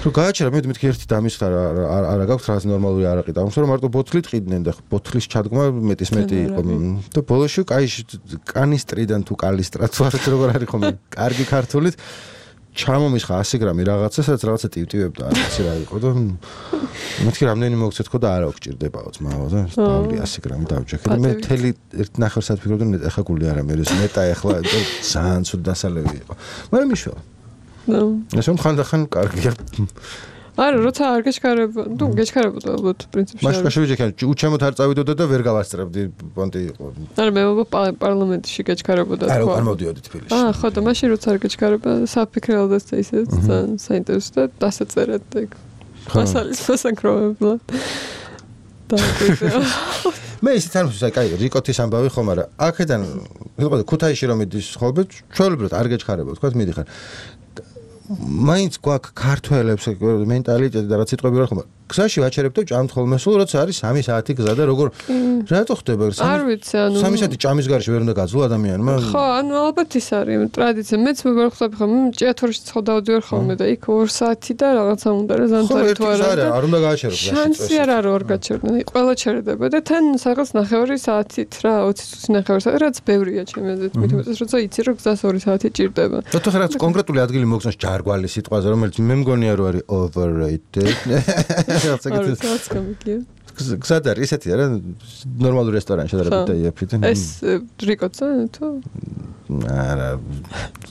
S1: რომ გააჩერა მე მეთქი ერთი დამისხა არ არ გაქვს რაღაც ნორმალური არაყი და ამიტომ მარტო ბოთლით ყიდნენ და ბოთლის ჩადგმა მეტის მეტი იყო და ბოლოში კაი კანისტრიდან თუ კალისტრა თუ არ როგორ არის ხომ კარგი ქართულით ჩამომისხა ასი გრამი რაღაცა სადაც რაღაცა ტივტივებდა ასე რა იყო და მეთქი რამდენი მოგცეთ ხო და არა გჭირდებაო ძმაო და დავლი ასი გრამი დავჯექე და მე თელი ერთ ნახევარსად ფიქრობდი ნეტ ახლა გული არა მე ეს ნეტა ახლა ძალიან ცუდ დასალევი იყო მაგრამ მიშველა ნო ეს ხანდახან კარგია
S3: არა როცა არ გეჩქარება ნუ გეჩქარებოდა ალბათ პრინციპში
S1: მაშინ შევიჯექე უჩემოთ არ წავიდოდა და ვერ გავასწრებდი პონტი იყო
S3: არა მე პარლამენტში გეჩქარებოდა
S1: არა არ მოვდიოდი თბილისში
S3: აა ხო და მაშინ როცა არ გეჩქარება საფიქრელდას და ისე ძალიან საინტერესო და დასაწერად და მასალის მოსაკროვებლად და
S1: მე ისიც არ მოსა კაი რიკოთის ამბავი ხომ არა აქედან ვიყო ქუთაისში რომ მიდის ხოლმე ჩვეულებრივად არ გეჩქარება თქვა მიდიხარ მაინც გვაქვს ქართველებს მენტალიტეტი და რაც სიტყვები რა ხომ გზაში ვაჩერებ და ჭამთ ხოლმე სულ როცა არის სამი საათი გზა და როგორ რატო ხდება
S3: არ ვიცი ანუ
S1: სამი საათი ჭამის გარეშე ვერ უნდა გაძლო ადამიანმა
S3: ხო ანუ ალბათ ის არის ტრადიცია მეც მე ვხსნები ხომ ჭიათურში ცხო დავდივარ ხოლმე და იქ ორ საათი და რაღაცა უნდა რა ზანთარი თუ არა
S1: არ უნდა გააჩერო გზაში
S3: შანსი არ არის ორ გაჩერდნენ ყველა ჩერდება და თან რაღაც ნახევარი საათით რა ოცი წუთი ნახევარი საათი რაც ბევრია ჩემი აზრით მით უმეტეს როცა იცი რომ გზას ორი საათი ჭირდება
S1: და თუ რაღაც კონკრეტული ადგილი მოგწონს ჯარგვალი სიტყვაზე რომელიც მე მგონია რომ არის overrated გზად არის ესეთი არა ნორმალური რესტორანი შედარებით და იაფით
S3: ეს რიკოცა თუ
S1: არა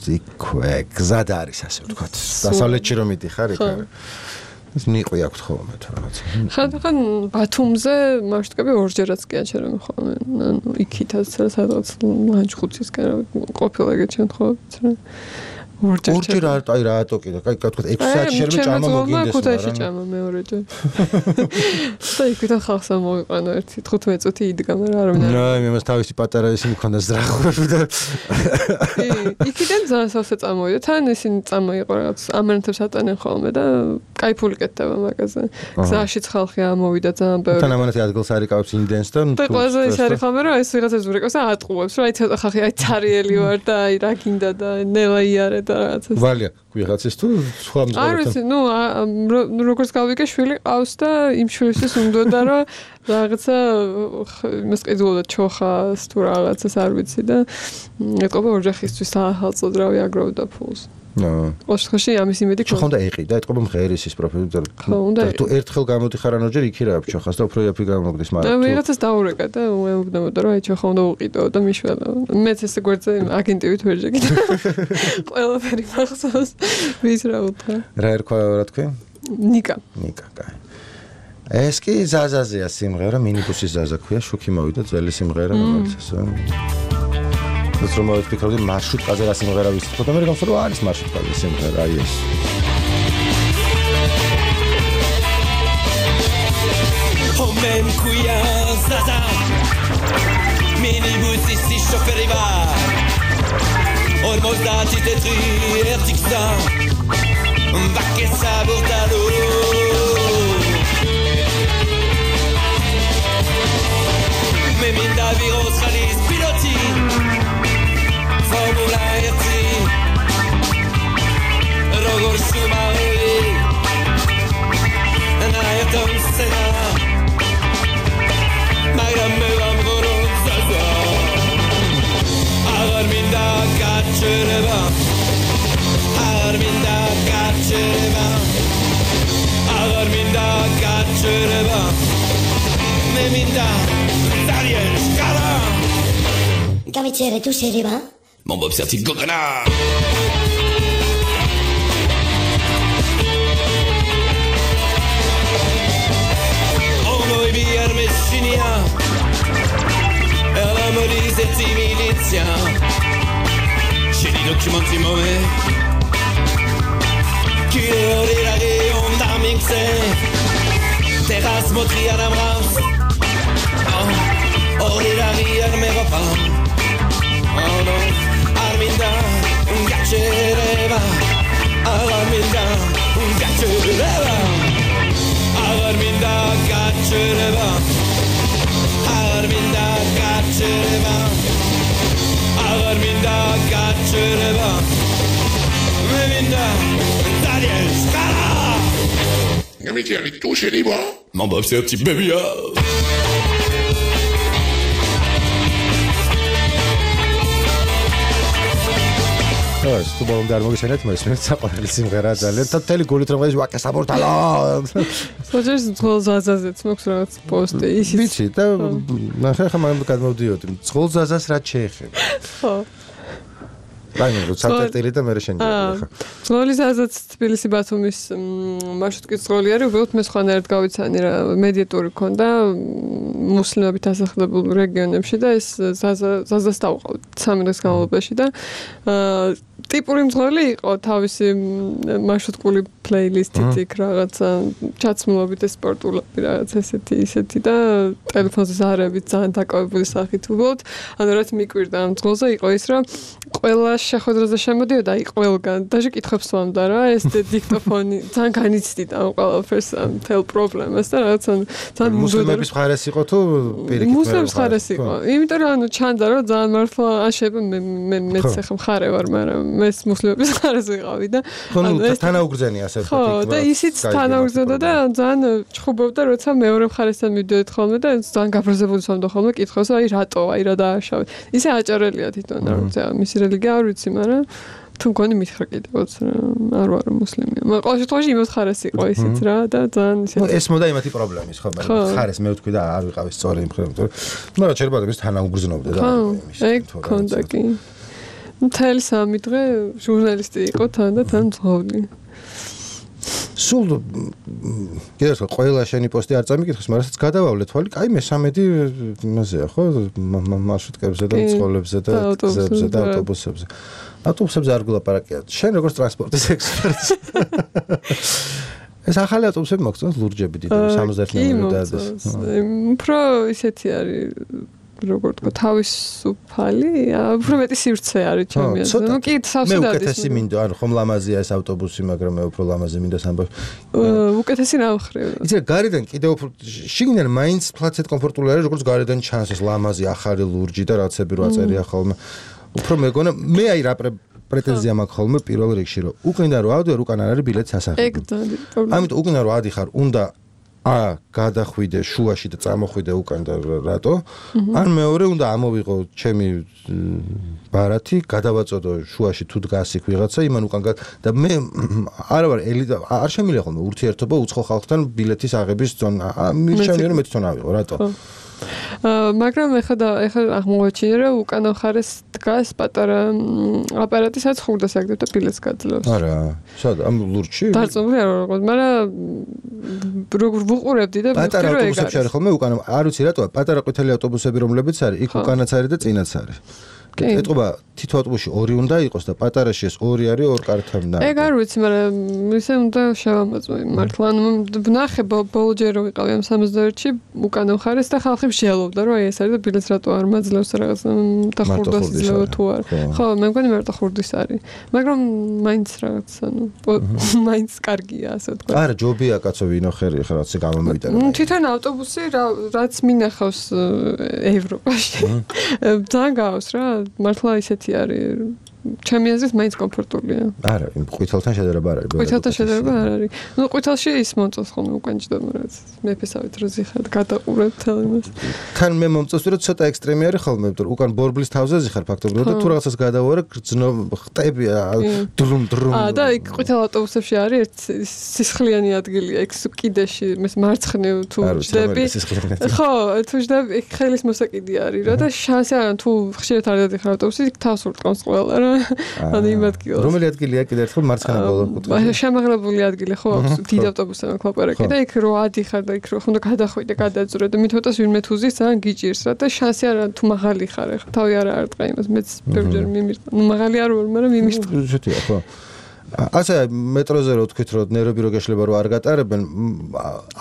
S1: ზიქვე გზად არის ასე ვთქვათ დასავლეთში რომ მიდიხარ იქ ეს ნიყვი აქვს ხოლმე თუ რაღაცა
S3: ხან ბათუმზე მარშრუტები ორჯერაც კი აჩერემ ხოლმე ანუ იქითაც სადღაც ლანჩხუთისკენ ყოფილა ეგეთ შემთხვევებში
S1: ორჯერ არ აი რატო კიდე კაი თქვა ექვსი საათი შეიძლება ჭამა მოგინდეს
S3: ქუთაისში ჭამა მეორეჯერ და იქით ხალხს მოვიყანო ერთი თხუთმეტი წუთი იდგა მაგრამ არ მინდა
S1: რა მე მას თავისი პატარა ისე მქონდა ზრახვები და
S3: იქიდან ძალიან სავსე წამოვიდა თან ისინი წამოიყო რაღაც ამერნთებს ატანენ ხოლმე და კაი ფული კეთდება მაგაზე გზაშიც ხალხი ამოვიდა ძალიან ბევრი
S1: თან ამანათი ადგილს არიკავს ინდენს და
S3: და ყველაზე ის არის ხოლმე რომ ეს ვიღაცა ზურეკავს და ატყუებს რომ აი ცოტა ხალხი აი ცარიელი ვარ და აი რა გინდა და ნელა იარე
S1: ვალია ვიღაცის თუ სხვა მძღოლთან
S3: არ ვიცი ნუ როგორც გავიგე შვილი ყავს და იმ შვილისთვის უნდა რომ რაღაცა იმას ყიდულოდა ჩოხას თუ რაღაცას არ ვიცი და ეთყობა ოჯახისთვის სახელწოდრავი აგროვდა ფულს ნო ოშხოში ამის იმედი
S1: ხო ხონდა ეყიდა ეთყობა მღერის ის პროფილი და თუ ერთხელ გამოდიხარ ანორჯერ იქირა ჩოხას და უფრო იაფი გამოგდის მაგრამ
S3: ვიღაცას დაურეკა და უეუბნებოდა რომ აი ჩოხა უნდა უყიდო და მიშველა მეც ესე გვერდზე აგენტივით ვერ შეგიდა ყველაფერი მახსოვს ვის რა უთხრა?
S1: რა ერქვა რა თქვი?
S3: ნიკა.
S1: ნიკა, კაი. ეს კი ზაზაზეა სიმღერა, მინიბუსის ზაზა ქვია, შუქი მოვიდა ძველი სიმღერა, რომელიც ასე. ეს რომ მოვიფიქრდი მარშრუტკაზე რა სიმღერა ვისწრებთ, და მე გამს რომ არის მარშრუტკაზე სიმღერა, აი ეს.
S5: Homem kuya zaza Minibus ici chauffeur va Ormos dati tetri ertiksa Va che sabortalo Meminda virus khalis piloti Formula R T Rogor shumari Naetom sena Mayram mevam goron zaza Agar minda kaçırma Agar minda kaçırma Agar minda kaçırma Me minda Zariel şkala
S6: Kamicere tu seriva?
S5: Mon bob serti gogana Noi bier messinia E la morise ti milizia C'è di documenti move Chi le ori raghi onda mixe Terras motri a namras Ori raghi arme ropa Oh no Arminda un gaccereva Arminda un gaccereva Arminda kaçırma Arminda kaçırma Arminda kaçırma Arminda Daniel Scala
S7: Amici, avec tout chez les bras.
S5: Mon bob c'est un petit baby
S1: ეს თუ ბოლომდე არ მოგიშენეთ, მესმენთ საყვარელი სიმღერა ძალიან. და თელი გულით რომ ეს ვაკე საბორტალო.
S3: სოჭერს ძღოლ ზაზაზეც მოქვს რაღაც პოსტი ისიც.
S1: ვიცი და ნახე ხა მაგ გადმოვდიოდი. ძღოლ ზაზას რა შეეხება?
S3: ხო.
S1: დაინო რო საწერტილი და მე შენჯერდი ხა.
S3: ძღოლი ზაზაც თბილისი ბათუმის მარშრუტკის ძღოლი არის, უბრალოდ მე სხვანაირად გავიცანი რა მედიატური ქონდა მუსლიმებით ასახლებულ რეგიონებში და ეს ზაზა ზაზას დავყავთ სამი დღის განმავლობაში და ტიპური მძღოლი იყო თავისი მარშრუტკული პლეილისტით იქ რაღაცა ჩაცმულობით სპორტულები რაღაც ესეთი ისეთი და ტელეფონზე ზარებით ძალიან დაკავებული სახით უბრალოდ ანუ რაც მიკვირდა ამ მძღოლზე იყო ის რომ ყველა შეხვედრაზე შემოდიოდა აი ყველგან даже კითხებს სვამდა რა ეს დიქტოფონი ძალიან განიცდიდა ამ ყველაფერს ამ თელ პრობლემას და რაღაც ძალიან
S1: მუსლიმების მხარეს იყო თუ პირიქით
S3: მუსლიმების მხარეს იყო იმიტომ რომ ანუ ჩანდა რომ ძალიან მართლა აშება მე მე მეც ახლა მხარე ვარ მაგრამ ეს მუსლიმების მხარეს ვიყავი და
S1: ანუ თანაუგრძენი ასე
S3: ხო და ისიც თანაუგრძნოდა და ძალიან ჩხუბობდა როცა მეორე მხარესთან მივიდოდით ხოლმე და ძალიან გაბრაზებული სვამდა ხოლმე კითხავს აი რატო აი რა დააშავე ისე აჭარელია თვითონ რა მისი რელიგია არ ვიცი მაგრამ თუ მგონი მითხრა კიდევაც არ ვარ მუსლიმი მაგრამ ყოველ შემთხვევაში იმის მხარეს იყო ისიც რა და ძალიან ისე
S1: ეს მოდა იმათი პრობლემის ხო მაგრამ მხარეს მე ვთქვი და არ ვიყავი სწორი იმ ხერხემ მაგრამ შეიძლება ის თანაუგრძნობდა და
S3: იმის ეგ ქონდა კი მთელი სამი დღე ჟურნალისტი იყო თან და თან მძღოლი
S1: სულ კიდევ ერთხელ ყველა შენი პოსტი არ წამიკითხეს, მაგრამ სადაც გადავავლე თვალი, კაი მესამედი იმაზეა, ხო? მარშრუტკებზე და მძღოლებზე და გზებზე და ავტობუსებზე. ავტობუსებზე არ გულაპარაკია. შენ როგორც ტრანსპორტის ექსპერტი. ეს ახალი ავტობუსები მოგწონს ლურჯები დიდი სამოცდაერთი ნომერი და ეს.
S3: უფრო ისეთი არის როგორ თქვა თავისუფალი, უფრო მეტი სივრცე არის ჩემი აზრით. ნუ კი სავსე
S1: მე უკეთესი მინდა, ანუ ხომ ლამაზია ეს ავტობუსი, მაგრამ მე უფრო ლამაზი მინდა სამბავ.
S3: უკეთესი ნავხრევ.
S1: იცი გარედან კიდევ უფრო შიგნიდან მაინც ფლაცეთ კომფორტული არის, როგორც გარედან ჩანს ეს ლამაზი ახალი ლურჯი და რაღაცები რო აწერია ხოლმე. უფრო მეგონა მე აი რა პრეტენზია მაქვს ხოლმე პირველ რიგში რომ უკნიდან რო ავდივარ, უკან არ არის ბილეთის ასახები.
S3: ეგ ძალიან პრობლემა.
S1: ამიტომ უკნიდან რო ადიხარ, უნდა ა გადახვიდე შუაში და წამოხვიდე უკან და რატო? ან მეორე უნდა ამოვიღო ჩემი ბარათი, გადავაწოდო შუაში თუ დგას იქ ვიღაცა, იმან უკან და მე არა ვარ ელიტა, არ შემიძლია ხოლმე ურთიერთობა უცხო ხალხთან ბილეთის აღების ზონა. მირჩენია რომ მე თვითონ ავიღო, რატო?
S3: მაგრამ ეხლა და ეხლა აღმოჩინე რომ უკანა მხარეს დგას პატარა აპარატი სადაც ხურდას აგდებ და ბილეთს გაძლევს.
S1: არა, სად ამ ლურჯში?
S3: დარწმუნებული არ ვარ, მაგრამ როგორ ვუყურებდი და
S1: პატარა ავტობუსებში არის ხოლმე უკანა, არ ვიცი რატოა, პატარა ყვითელი ავტობუსები რომლებიც არის, იქ უკანაც არის და წინაც არის. ეტყობა თითო ავტობუსში ორი უნდა იყოს და პატარაში ეს ორი არის ორ კარტთან და.
S3: ეგ არ ვიცი, მაგრამ ისე უნდა შევამოწმო მართლა. ანუ ვნახე ბოლო ჯერ რომ ვიყავი ამ სამოცდაერთში უკანა მხარეს და ხალხი მსჯელობდა რომ აი ეს არის და ბილეთს რატო არ მაძლევს რაღაც და ხურდას იძლევა თუ არ. ხო, მე მგონი მარტო ხურდის არის. მაგრამ მაინც რაღაც ანუ მაინც კარგია ასე ვთქვა.
S1: არა, ჯობია კაცო ვინოხერი ხა რაღაც გამომიტანა.
S3: თვითონ ავტობუსი რაც მინახავს ევროპაში. ძალიან გავს რა მართლა ისეთი არის ჩემი აზრით მაინც კომფორტულია.
S1: არა, იმ ყვითელთან შედარება არ არის.
S3: ყვითელთან შედარება არ არის. ნუ ყვითელში ის მომწონს ხოლმე უკან ჭდომ რაც მეფესავით რო ზიხარ გადაყურებ თელ იმას.
S1: თან მე მომწონს რომ ცოტა ექსტრემი არის ხოლმე, იმიტომ რომ უკან ბორბლის თავზე ზიხარ ფაქტობრივად და თუ რაღაცას გადავარე გრძნო ხტები დრუმ დრუმ.
S3: აა და იქ ყვითელ ავტობუსებში არის ერთ სისხლიანი ადგილია, იქ კიდეში მის მარცხნივ თუ ჭდები. ხო, თუ ჭდები იქ ხელის მოსაკიდი არის რა და შანსი არა თუ ხშირად არ დადიხარ ავტობუსში, იქ თავს ურტყავს ყველა რა. ანუ იმ ადგილას.
S1: რომელი ადგილია კიდე ერთხელ მარცხენა ბოლო კუთხე?
S3: შემაღლებული ადგილი ხო აქვს დიდ ავტობუსთან კლაპარაკი და იქ რო ადიხარ და იქ რო ხუნდა გადახვიდე და გადაძვრე და მithotას ვინმე თუზის ძალიან გიჭირს რა და შანსი არა თუ მაღალი ხარ ახლა თავი არა არტყა იმას მეც ბევრჯერ მიმირტყა. ნუ მაღალი არ ვარ, მაგრამ მიმირტყა.
S1: შეთია ხო. ასე მეტროზე რო თქვით რომ ნერვები რო გაშლება რო არ გატარებენ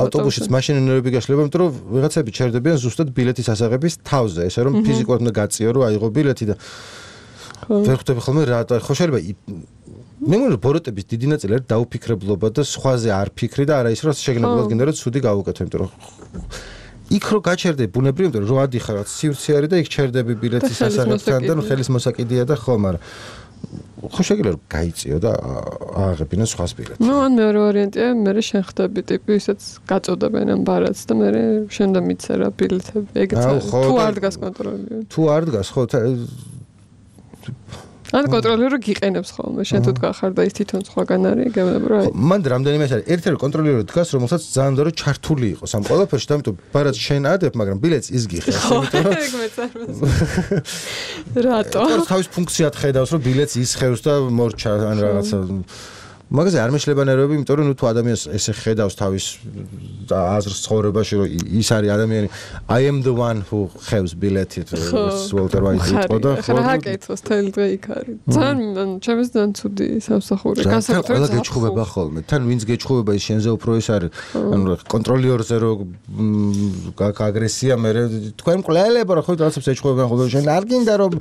S1: ავტობუსშიც მაშინ ნერვები გაშლება იმიტომ რომ ვიღაცები ჩერდებიან ზუსტად ბილეთის ასაღების თავზე ესე რომ ფიზიკურად უნდა გაწიო რომ აიღო ბილეთი და ვერ ხვდები ხოლმე რა ხო შეიძლება მე მგონი რომ ბოროტების დიდი ნაწილი არის დაუფიქრებლობა და სხვაზე არ ფიქრი და არა ის რომ შეგნებულად გინდა რომ ცუდი გავუკეთო იმიტომ რომ იქ რო გაჩერდები ბუნებრივი იმიტომ რომ ადიხარ რაც სივრცე არის და იქ ჩერდები ბილეთის ასაღებთან და ხელის მოსაკიდია და ხო მაგრამ ხო შეგიძლია რომ გაიწიო და ააღებინო სხვას ბილეთს.
S3: ნუ ან მეორე ვარიანტია მე შენ ხდები ტიპი ისაც გაწოდებენ ამ ბარათს და მე შენ და მიცე რა ბილეთები ეგეც თუ არ დგას კონტროლი.
S1: თუ არ დგას ხო
S3: ან კონტროლერი გიყენებს ხოლმე შენ თუ დგახარ და ის თვითონ სხვაგან არის გეუბნები რა
S1: მან რამდენიმე ეს არის ერთი კონტროლერი დგას რომელსაც ძალიან დრო ჩართული იყოს ამ ყველაფერში და ამიტომ ბარათს შენ ადებ მაგრამ ბილეთს ის გიხებს
S3: იმიტომ რომ ეგ მეწარმოებს რატო
S1: თავის ფუნქციად ხედავს რომ ბილეთს ისხევს და მორჩა ან რაღაცა მაგაზე არ მეშლება ნერვები იმიტომ რომ ნუ თუ ადამიანს ესე ხედავს თავის აზრს ცხოვრებაში რომ ის არის ადამიანი I am the one who ხევს ბილეთით Walter White იყო და
S3: ხო რა გაკეთოს თელი დღე იქ არის ძალიან ჩემს ძალიან ცუდი სამსახური
S1: განსაკუთრებით ყველა გეჩხუბება ხოლმე თან ვინც გეჩხუბება ის შენზე უფრო ის არის ანუ კონტროლიორზე რო აგრესია მე თქვენ მკვლელებო რა ხო რაღაცებს ეჩხუბებიან ხოლმე შენ არ გინდა რომ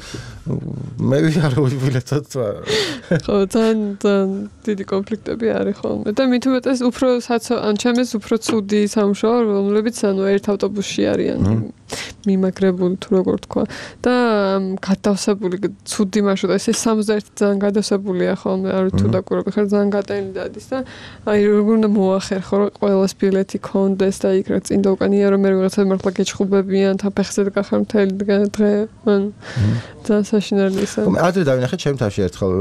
S1: მე ვიყარო ბილეთად
S3: ხო ძალიან დიდი კონფლიქტები არის ხოლმე და მით უმეტეს უფრო ან ჩემს უფრო ცუდი სამუშაო რომლებიც ანუ ერთ ავტობუსში არიან მიმაგრებული თუ როგორ თქვა და გადავსებული ცუდი მარშრუტი ესე სამოცდაერთი ძალიან გადავსებულია ხოლმე არ თუ დაკურები ხარ ძალიან გადაინი დადის და აი როგორ უნდა მოახერხო რომ ყველას ბილეთი კონდეს და იქ რა წინ და უკანია რომ მე ვიღაცა მართლა გეჩხუბებიან თან ფეხზე გახარ მთელი დღე ან ძალიან საშინელი ისე
S1: მე ადრე დავინახე ჩემ თავში ერთხელ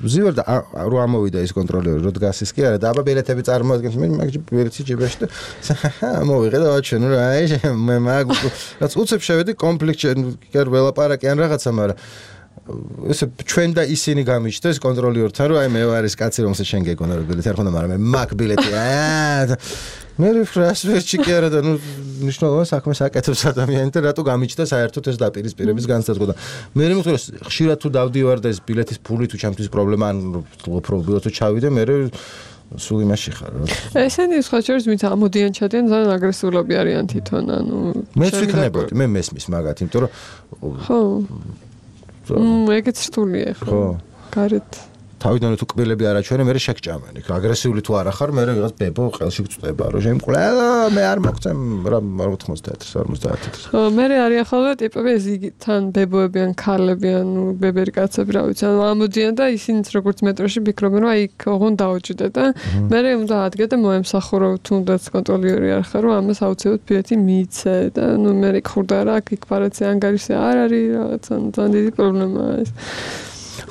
S1: ვზივარ და რო ამოვიდა ის კონტროლერი რო დგას ის კი არა და აბა ბილეთები წარმოადგენს მე მაგ ბილეთი ჯიბეში და მოვიღე და ვაჩვენე რა აი მე მაგ რაც უცებ შევედი კონფლიქტში არ ველაპარაკი ან რაღაცა მაგრამ ესე ჩვენ და ისინი გამიჩნდეს კონტროლიორთან რომ აი მე ვარ ეს კაცი რომელსაც შენ გეგონა რომ ბილეთი არ ხონდა მაგრამ მე მაგ ბილეთი აა მე ფრას ვერჩი კი არა და ნუ ნიშნავენ საქმეს აკეთებს ადამიანი და რატო გამიჩნდა საერთოდ ეს დაპირისპირების განსაზღვრა და მე მეთქე ხშირად თუ დავდივარ და ეს ბილეთის ფული თუ ჩემთვის პრობლემა ან პრობლემა თუ ჩავიდე მე სულ იმაში ხარ რა
S3: ესენი სხვა შორის ვინც ამოდიან ჩადიან ძალიან აგრესიულები არიან თვითონ ანუ
S1: მეც ვიქნებოდი მე მესმის მაგათ იმიტომ რომ
S3: ხო ეგეც რთულია ხო გარეთ
S1: თავიდან თუ კბილები არ აჩვენე მე შეგჭამენ იქ აგრესიული თუ არ ახარ მე რაღაც ბებო ყელში გწდება რომ შენ ყველა მე არ მოგწემ რა ოთხმოცდაათი ორმოცდაათი
S3: ხო მე არიან ხოლმე ტიპები ეს თან ბებოები ან ქალები ან ბებერი კაცები რა ვიცი ანუ ამოდიან და ისინიც როგორც მეტროში ფიქრობენ რომ აი ოღონ დაუჭიდე და მე უნდა ადგე და მოემსახურო თუნდაც კონტროლიერი არ ხარ რომ ამას აუცილებლად ბილეთი მიიცე და ნუ მე ხურდა რა იქ ფარაცი ანგარიში არ არის რაღაცა ძალიან დიდი პრობლემაა ეს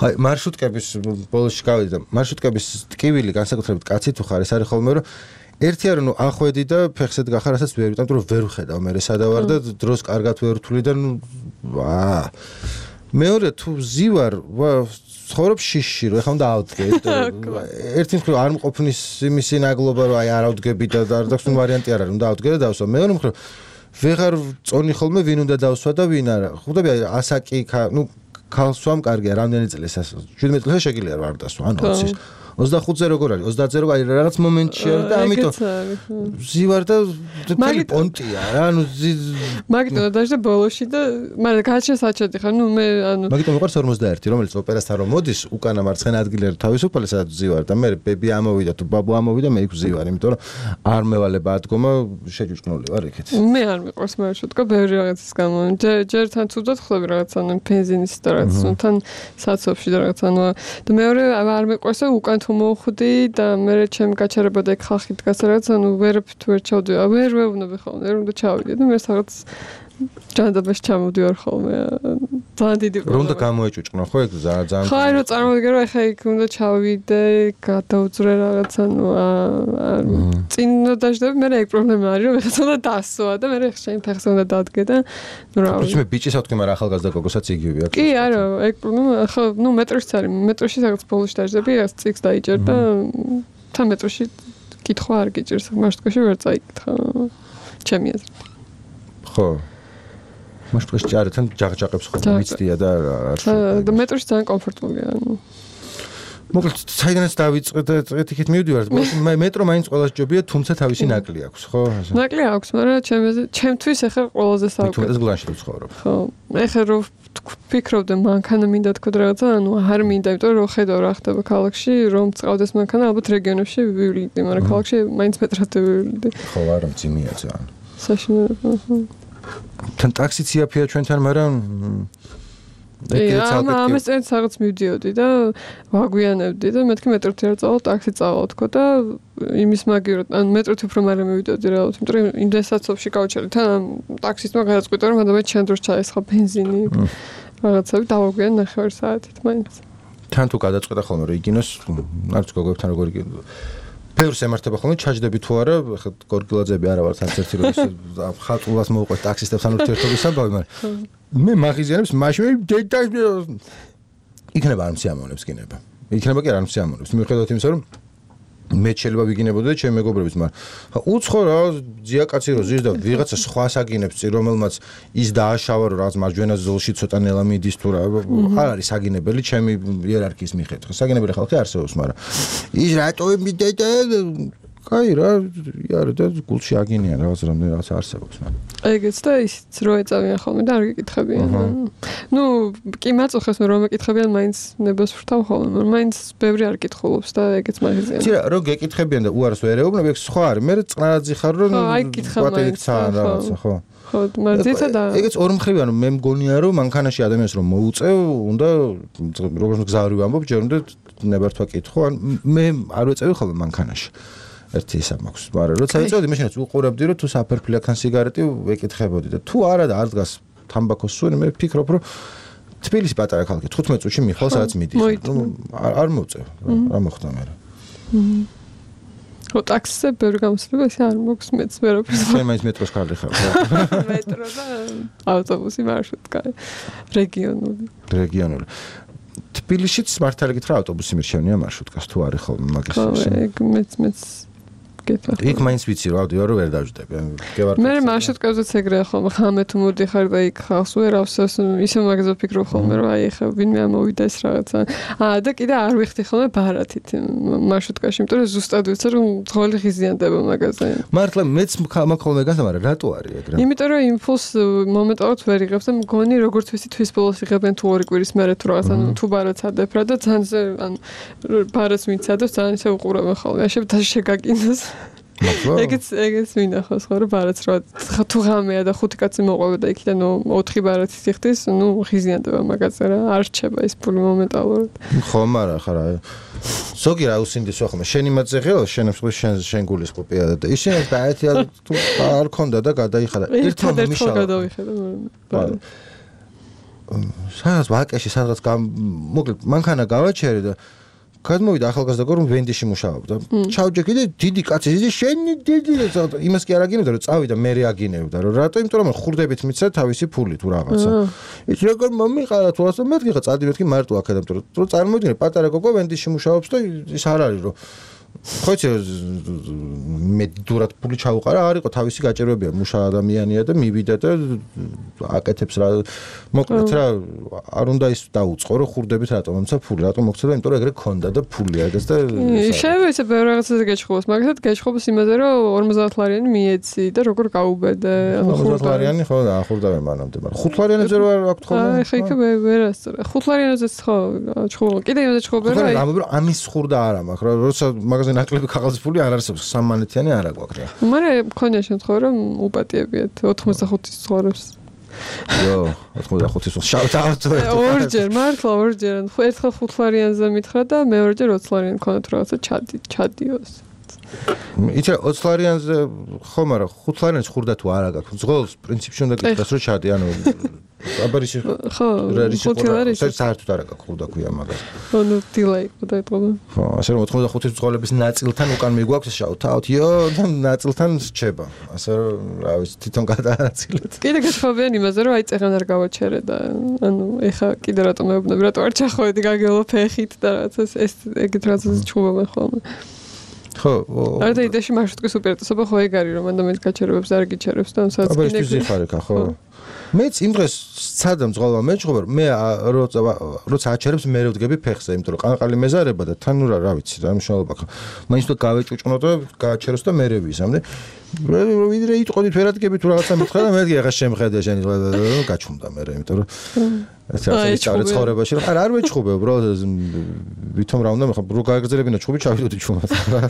S1: აი მარშრუტკების ბოლოში გავიდი და მარშრუტკების ტკივილი განსაკუთრებით კაცი თუ ხარ ეს არის ხოლმე რომ ერთი არის ნუ ახვედი და ფეხსეთ გახარ, რასაც ვერ ვიტანთ, რომ ვერ ვხედავ მე სადავარ და დროს კარგად ვერ ვთვლი და ნუ აა მეორე თუ ზივარ ცხოვრობ შიში რომ ეხლა უნდა ავდგე ერთი მხრივ არ მყოფნის იმისი ნაგლობა რომ აი არ ავდგები და არ დაქვს ნუ ვარიანტი არ არის უნდა ავდგე და დავსვა მეორე მხრივ ვეღარ წონი ხოლმე ვინ უნდა დავსვა და ვინ არა ხვდები აი ასაკი ნუ ქალსვამ კარგია რამდენი წელს შვიდმეტ წელს შეგიძლია რა არ დასვა ანუ ოცი ოცდახუთზე როგორ არის ოცდაათზე როგორ არის რაღაც მომენტში არის და ამიტომ ზივარ და თელი პონტია რა ანუ
S3: მაგიტომ დაჟე ბოლოში და მაგრამ გაჩა საჩეთი ხარ ნუ მე ანუ
S1: მაგიტომ მიყვარს ორმოცდაერთი რომელიც ოპერასთან რომ მოდის უკანა მარცხენა ადგილରେ თავისუფალი სადაც ზივარ და მე ბები ამოვიდა თუ ბაბუ ამოვიდა მე იქ ზივარ იმიტომ რომ არ მევალება ადგომა შეჯუჭკნული ვარ იქით
S3: მე არ მიყვარს მარშრუტკა ბევრი რაღაცის გამო ჯერ თან ცუდად ხვდები რაღაც ანუ ბენზინის და რაღაც თან საცობში და რაღაც ანუ და მეორე არ მიყვარს უკან მოვხვდი და მე ჩემ გაჩერება და ხალხი დგას რაღაც ანუ ვერ ვერ ჩავდი ვერ ვეუბნები ხოლმე ვერ უნდა ჩავიდე და მე რაღაც ჯანდაბაში ჩამოვდივარ ხოლმე ძალიან დიდი
S1: რომ და გამოეჭუჭკნო ხო ეგ ძალიან
S3: ხო აი რომ წარმოვიდგინე რომ ეხა იქ უნდა ჩავიდე გადაუძრე რაღაც ანუ წინ დაждები მე ეგ პრობლემა არის რომ ეხა უნდა დასვა და მე ეხა შენ ფეხს უნდა დადგე და ნუ რა
S1: ვიცი მე ბიჭის ავთქი მაგრამ ახალგაზრდა გოგოსაც იგივე აქვს
S3: კი არა ეგ პრობლემა ხო ნუ მეტროში არის მეტროში რაღაც ბოლოში დაждები რაღაც წიგს დაიჭერ და თან მეტროში კითხვა არ გიჭირს მარშრუტკაში ვერ წაიკითხა ჩემი აზრით
S1: ხო მაშტყის ჭართან ჯაღჯაღებს ხოლმე მიცდია და
S3: და მეტროში ძალიან კომფორტულია ანუ
S1: მოკლედ საიდანაც დავიწყე და წეთიქით მივდივარ მე მეტრო მაინც ყველას ჯობია თუმცა თავისი ნაკლი აქვს ხო
S3: ნაკლი აქვს მაგრამ ჩემზე ჩემთვის ახლა ყველაზე საუკეთესო
S1: ეს გლანში ვცხოვრობ
S3: ხო ახლა რომ ფიქრობდე მანქანა მინდა თქო რაღაცა ანუ არ მინდა იმიტომ რომ ხედავ რა ხდება ქალაქში რომ წავდეს მანქანა ალბათ რეგიონებში ვივლიდე მაგრამ ქალაქში მაინც მეტრად ვივლიდე
S1: ხო არა მძიმეა ძალიან
S3: საშინელება
S1: თან ტაქსიც იაფია ჩვენთან მაგრამ
S3: ეგეც ამას წინ რაღაც მივდიოდი და ვაგვიანებდი და მეთქი მეტროთი არ წავალ ტაქსი წავალ თქო და იმის მაგირო ან მეტროთი უფრო მალე მივიდოდი რა თქო იმიტომ რომ იმდენ საცობში გავჩერდი თან ტაქსისტმა გადაწყვიტა რომ მანდ მე ჩვენ დროს ჩაესხა ბენზინი რაღაცები დავაგვიან ნახევარ საათით მაინც
S1: თან თუ გადაწყვიტა ხოლმე რომ იგინოს არც გოგოებთან როგორ იგინო ბევრს ემართება ხოლმე ჩაჯდები თუ არა ხა გორგილაძეები არა ვარ თან ერთი რომ ხალხულას მოუყვეთ ტაქსისტებთან ურთიერთობის ამბავი მაგრამ მე მაღიზიანებს მაშინ დედა იქნება არ მსიამოვნებს გინება იქნება კი არ მსიამოვნებს მიუხედავად იმისა რომ მე შეიძლება ვიგინებოდი და ჩემი მეგობრებიც მაგრამ უცხო რა ძია კაცი რო ზის და ვიღაცა სხვას აგინებს წი რომელმაც ის დააშავა რომ რაღაც მარჯვენა ზოლში ცოტა ნელა მიდის თუ რა არ არის აგინებელი ჩემი იერარქიის მიხედვით საგინებელი ხალხი არსებობს მაგრამ ის რატო მიდედა კაი რა იარე და გულში აგინიან რაღაც რამდენი რაღაც არსებობს მაგრამ
S3: ეგეც და ისიც რო ეწავიან ხოლმე და არ გეკითხებიან ნუ კი მაწუხებს მე რომ ეკითხებიან მაინც ნებას ვრთავ ხოლმე მაგრამ მაინც ბევრი არ კითხულობს და ეგეც მაგაზია
S1: ცირა რო გეკითხებიან და უარს ვერ ეუბნები ეგ სხვა არის მე წყნარაძი ხარ რომ
S3: აი კითხა მაინც
S1: რაღაცა ხო
S3: ხო მაგზეცა და
S1: ეგეც ორი მხრივია რომ მე მგონია რომ მანქანაში ადამიანს რომ მოუწევ უნდა როგორც გზავრი ვამბობ ჯერ უნდა ნებართვა კითხო ან მე არ ვეწევი ხოლმე მანქანაში ერთი ისა მაქვს, მაგრამ როცა ეწევდი, მაშინაც უყურებდი, რომ თუ საფერფლιακთან სიგარეტი ვეკითხებოდი და თუ არა და არ დგას თამბაქოს სუნი, მე ვფიქრობ, რომ თბილისი პატარა ქალაქი, თხუთმეტ წუთში მიხვალ სადაც მიდიხარ. ნუ არ მოწევ, რა მოხდა მე.
S3: ხო, ტაქსზე ბევრი გამოსვლება ისე არ მოქვს მეც ვერაფერს.
S1: მე მაინც მეტროს კარგი ხარ.
S3: მეტრო და ავტობუსი მარშრუტკა რეგიონული.
S1: რეგიონული. თბილისშიც მართალი გითხრა ავტობუსი მირჩევნია მარშრუტკას თუ არის ხოლმე მაგის
S3: ისე. ხო, ეგ მეც მეც გეტყვი.
S1: იქ მაინც ვიცი რა ავდივარ რომ ვერ დავждები.
S3: მე მარშრუტკაზეც ეგრეა ხოლმე ხამე თუ მოდიხარ და იქ ხალხს ვერ ავსოს ისე მაგაზე ვფიქრობ ხოლმე რომ აი ხა ვინმე ამოვიდა ეს რაღაცა. აა და კიდე არ ვიხდი ხოლმე ბარათით მარშრუტკაში, იმიტომ რომ ზუსტად ვიცი რომ ძღოლი ღიზიანდება მაგაზე.
S1: მართლა მეც მაგ ხოლმე გასა, მაგრამ რატო არის ეგ რა?
S3: იმიტომ რომ იმპულს მომენტალურად ვერ იღებს და მგონი როგორც ვიცი თვის ბოლოს იღებენ თუ ორი კვირის მერე თუ რაღაცა ანუ თუ ბარათს ადებ რა და ძალიან ანუ ბარათს მიცადოს ძალიან ისე უყურებენ ხოლმე. ასე და შეგაკინოს ეგეც ეგეც მინახავს ხო რომ ბარათს რა თუ ღამეა და ხუთი კაცი მოყვება და იქიდან ოთხი ბარათი სიხდის ნუ ღიზიანდება მაგაზე რა არ რჩება ის ფული მომენტალურად
S1: ხო მაგრამ ხარა ზოგი რა უსინდის ხოლმე შენი მაძეღეო შენებს შენ შენ გულის ყופია და ისინი ბარათი თუ არ ქონდა და გადაიხარა ერთმა მიშალა
S3: გადავიხედა მაგრამ
S1: სადაც ვაკეში სადღაც მოკლედ მანქანა გავაჩერე და გადმოვიდა ახალგაზრდა გოგო, რომ ვენდიში მუშაობდა. ჩავჯექი და დიდი კაცი, ის შენი დიდი იმას კი არ აგინებდა, რომ წავიდა მერე აგინებდა, რომ რატო? იმიტომ რომ ხურდებით მიცა თავისი ფული თუ რაღაცა. ის როგორ მომიყარა თუ ასე მეთქი ხა წადივით კი მარტო აქედან, რომ წარმოიდგინე პატარა გოგო ვენდიში მუშაობს და ის არ არის რომ ხო იცი მე დურად ფული ჩაუყარა, არ იყო თავისი გაჭირვებია, მუშა ადამიანია და მივიდა და აკეთებს რა მოკლედ რა არ უნდა ის დაუწყო რომ ხურდებით რატომ მომცა ფული, რატომ მოგცედა, იმიტომ რომ ეგრე ქონდა და ფული აგეს და
S3: შეიძლება ისე ბევრ რაღაცაზე გეჩხუბოს, მაგალითად გეჩხუბოს იმაზე რომ ორმოცდაათ ლარიანი მიეცი და როგორ გაუბედე, ანუ
S1: ორმოცდაათ ლარიანი ხო და ახურდავენ მანამდე, მაგრამ ხუთ ლარიანებზე რო არ აქვს ხოლმე.
S3: აი ხა იქ ვერასწორე. ხუთ ლარიანზეც ხო ჩხუბო. კიდე იმაზე ჩხუბე რა.
S1: ხო, ამბობ რომ ამის ხურდა არა მაქვს რა, როცა მაგაზე ნაკლები ქაღალდის ფული არ არსებობს, სამმანეთიანი არ აქვს რა.
S3: მაგრამ მქონია შემთხვევა რომ უპატიებიათ ოცდახუთის ცხოვრებს.
S1: იო, ოცდახუთის შავთ ავტო.
S3: ორჯერ, მართლა ორჯერ. ერთხელ ხუთ ლარიანზე მითხრა და მეორეჯერ ოცდ ლარიანი მქონდა თუ რაღაცა ჩადი, ჩადიოს.
S1: იცი ოცდ ლარიანზე ხო, მაგრამ ხუთ ლარიანის ხურდა თუ არა გაქვს. ზღოლს პრინციპში უნდა გითხრას რომ ჩადი, ანუ აბარიში
S3: ხო, ხუთი ლარი
S1: საერთოდ არ აქვს ხურდა ქვია მაგას.
S3: ანუ დილაი ყოდა ეთყობა.
S1: ხო, ასე რომ ოცდახუთის ზღოლების ნაწილთან უკან მიგვაქვს შავთ ავტო, იო, და ნაწილთან რჩება. ასე რომ რა ვიცი, თვითონ გადაანაწილეთ.
S3: კიდე გეშხობიან იმაზე რომ აი წეღან არ გავაჩერე და ანუ ეხა კიდე რატომ მეუბნები, რატო არ ჩახოვედი გაგელო ფეხით და რაღაცა ეს ეგეთ რაღაცას ჩხუბობენ ხოლმე.
S1: ხო,
S3: არ და იდეაში მარშრუტკის უპირატესობა ხო ეგ არის რომ ადამიანს გაჩერებებს არ გიჩერებს და სადაც
S1: აბა ის ზიხარეკა ხო. მეც იმ დღეს სცადამ ზღალვა მეჩხობა მე როცა როცა აჩერებს მე ვდგები ფეხზე, იმიტომ რომ ყანყალი მეზარება და თან რა რა ვიცი რა მნიშვნელობა ხო. მაინც თუ გავეჭუჭნო და გააჩეროს და მე რევიზამდე. ვიდრე იტყოდით ვერადგები თუ რაღაცა მითხრა და მეთქი ახლა შემხედე შენი გაჩუმდა მე რა, იმიტომ რომ ეს არის წავრი ცხოვრებაში რა არ ვეჩხუბე უბრალოდ ვითომ რა უნდა მე ხო რო გააგრძელებინა ჩხუბი ჩავიდოდი ჩუმად რა.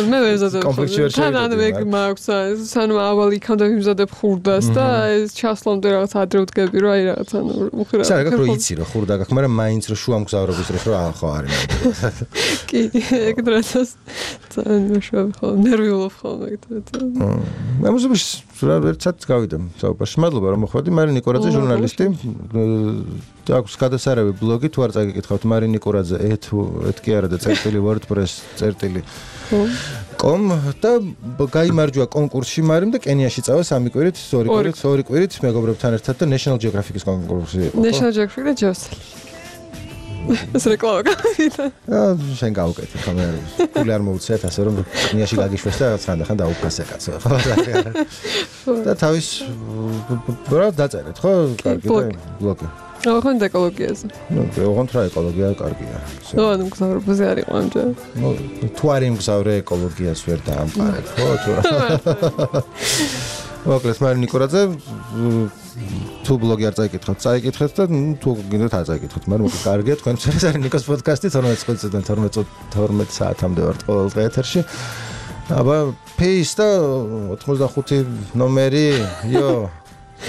S3: მე ვერ ზადებ. თან ანუ ეგ მაქვს სანამ ავალი იქამდე ვიმზადებ ხურდას და ეს ჩასლამდე რაღაც ადრე ვდგები რომ აი რაღაც ანუ უხირა.
S1: სა რა რო იცი რომ ხურდა გაქვს, მაგრამ მაინც რომ შუა მგზავრობის დროს რა ხო არის.
S3: კი, ეგ დროსაც ძალიან შუა ხო ნერვიულობ ხოლმე ეგ დროსაც.
S1: მე მუსიკაში რა ერთად გავიდე საუბარში. მადლობა რომ მოხვედი, მარინ ნიკორაძე ჟურნალისტი. აქვს გადასარევი ბლოგი, თუ არ წაგიკითხავთ მარინ ნიკორაძე ეთ კი არა და წერტილი WordPress წერტილი com და გაიმარჯვა კონკურსში მარიმ და კენიაში წავა სამი კვირით, ორი კვირით, ორი კვირით მეგობრებთან ერთად და National Geographic-ის კონკურსი იყო.
S3: National Geographic და ჯოსელი. ეს რეკლამა გავიდა.
S1: აა შენ გავუკეთე ხომ არ არის. ფული არ მოუწიათ ასე რომ კენიაში გაგიშვეს და ხანდახან დაუფასე კაცო. და თავის რა დაწერეთ ხო? კარგი და ბლოგი.
S3: ოღონდ ეკოლოგიაზე.
S1: ნუ ოღონდ რა ეკოლოგია კარგია.
S3: ნუ ანუ მგზავრობაზე არ იყო ამჯერ.
S1: ნუ თუ არ იმგზავრე ეკოლოგიას ვერ დაამყარებ ხო თუ რა. მოკლედ მარინ ნიკორაძე თუ ბლოგი არ წაიკითხოთ, წაიკითხეთ და თუ გინდათ არ წაიკითხოთ, მაგრამ უკვე კარგია თქვენ ეს არის ნიკოს პოდკასტი თორმეტ წუთიდან თორმეტ საათამდე ვართ ყოველ დღე ეთერში. აბა ფეის და ოცდახუთი ნომერი, იო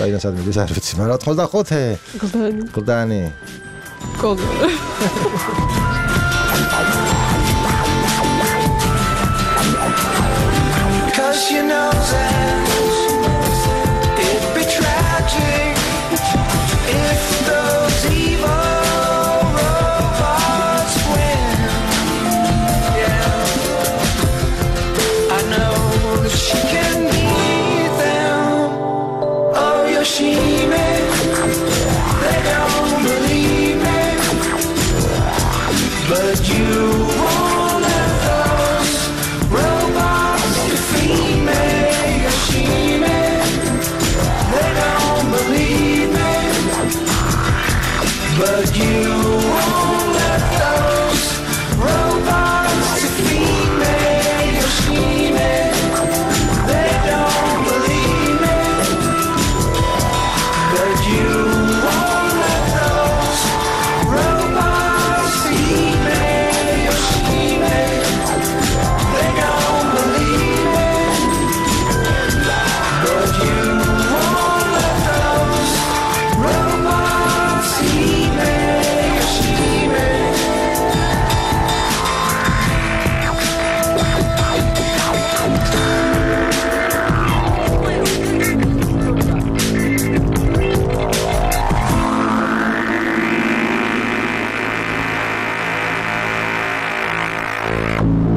S1: საიდან სად მიდის არ ვიცი, მაგრამ ოცდახუთი.
S3: გლდანი.
S1: გლდანი.
S3: გლდანი.
S4: Cause you know that it'd be tragic if those evil robots win. Yeah, I know that she can beat them. Oh, Yoshime, they don't believe me, but you won't let those robots defeat me. Yoshime, they don't believe me, but you won't let those robots defeat me. Yoshime, they don't believe me, but you won't let those robots defeat me.
S2: Bye.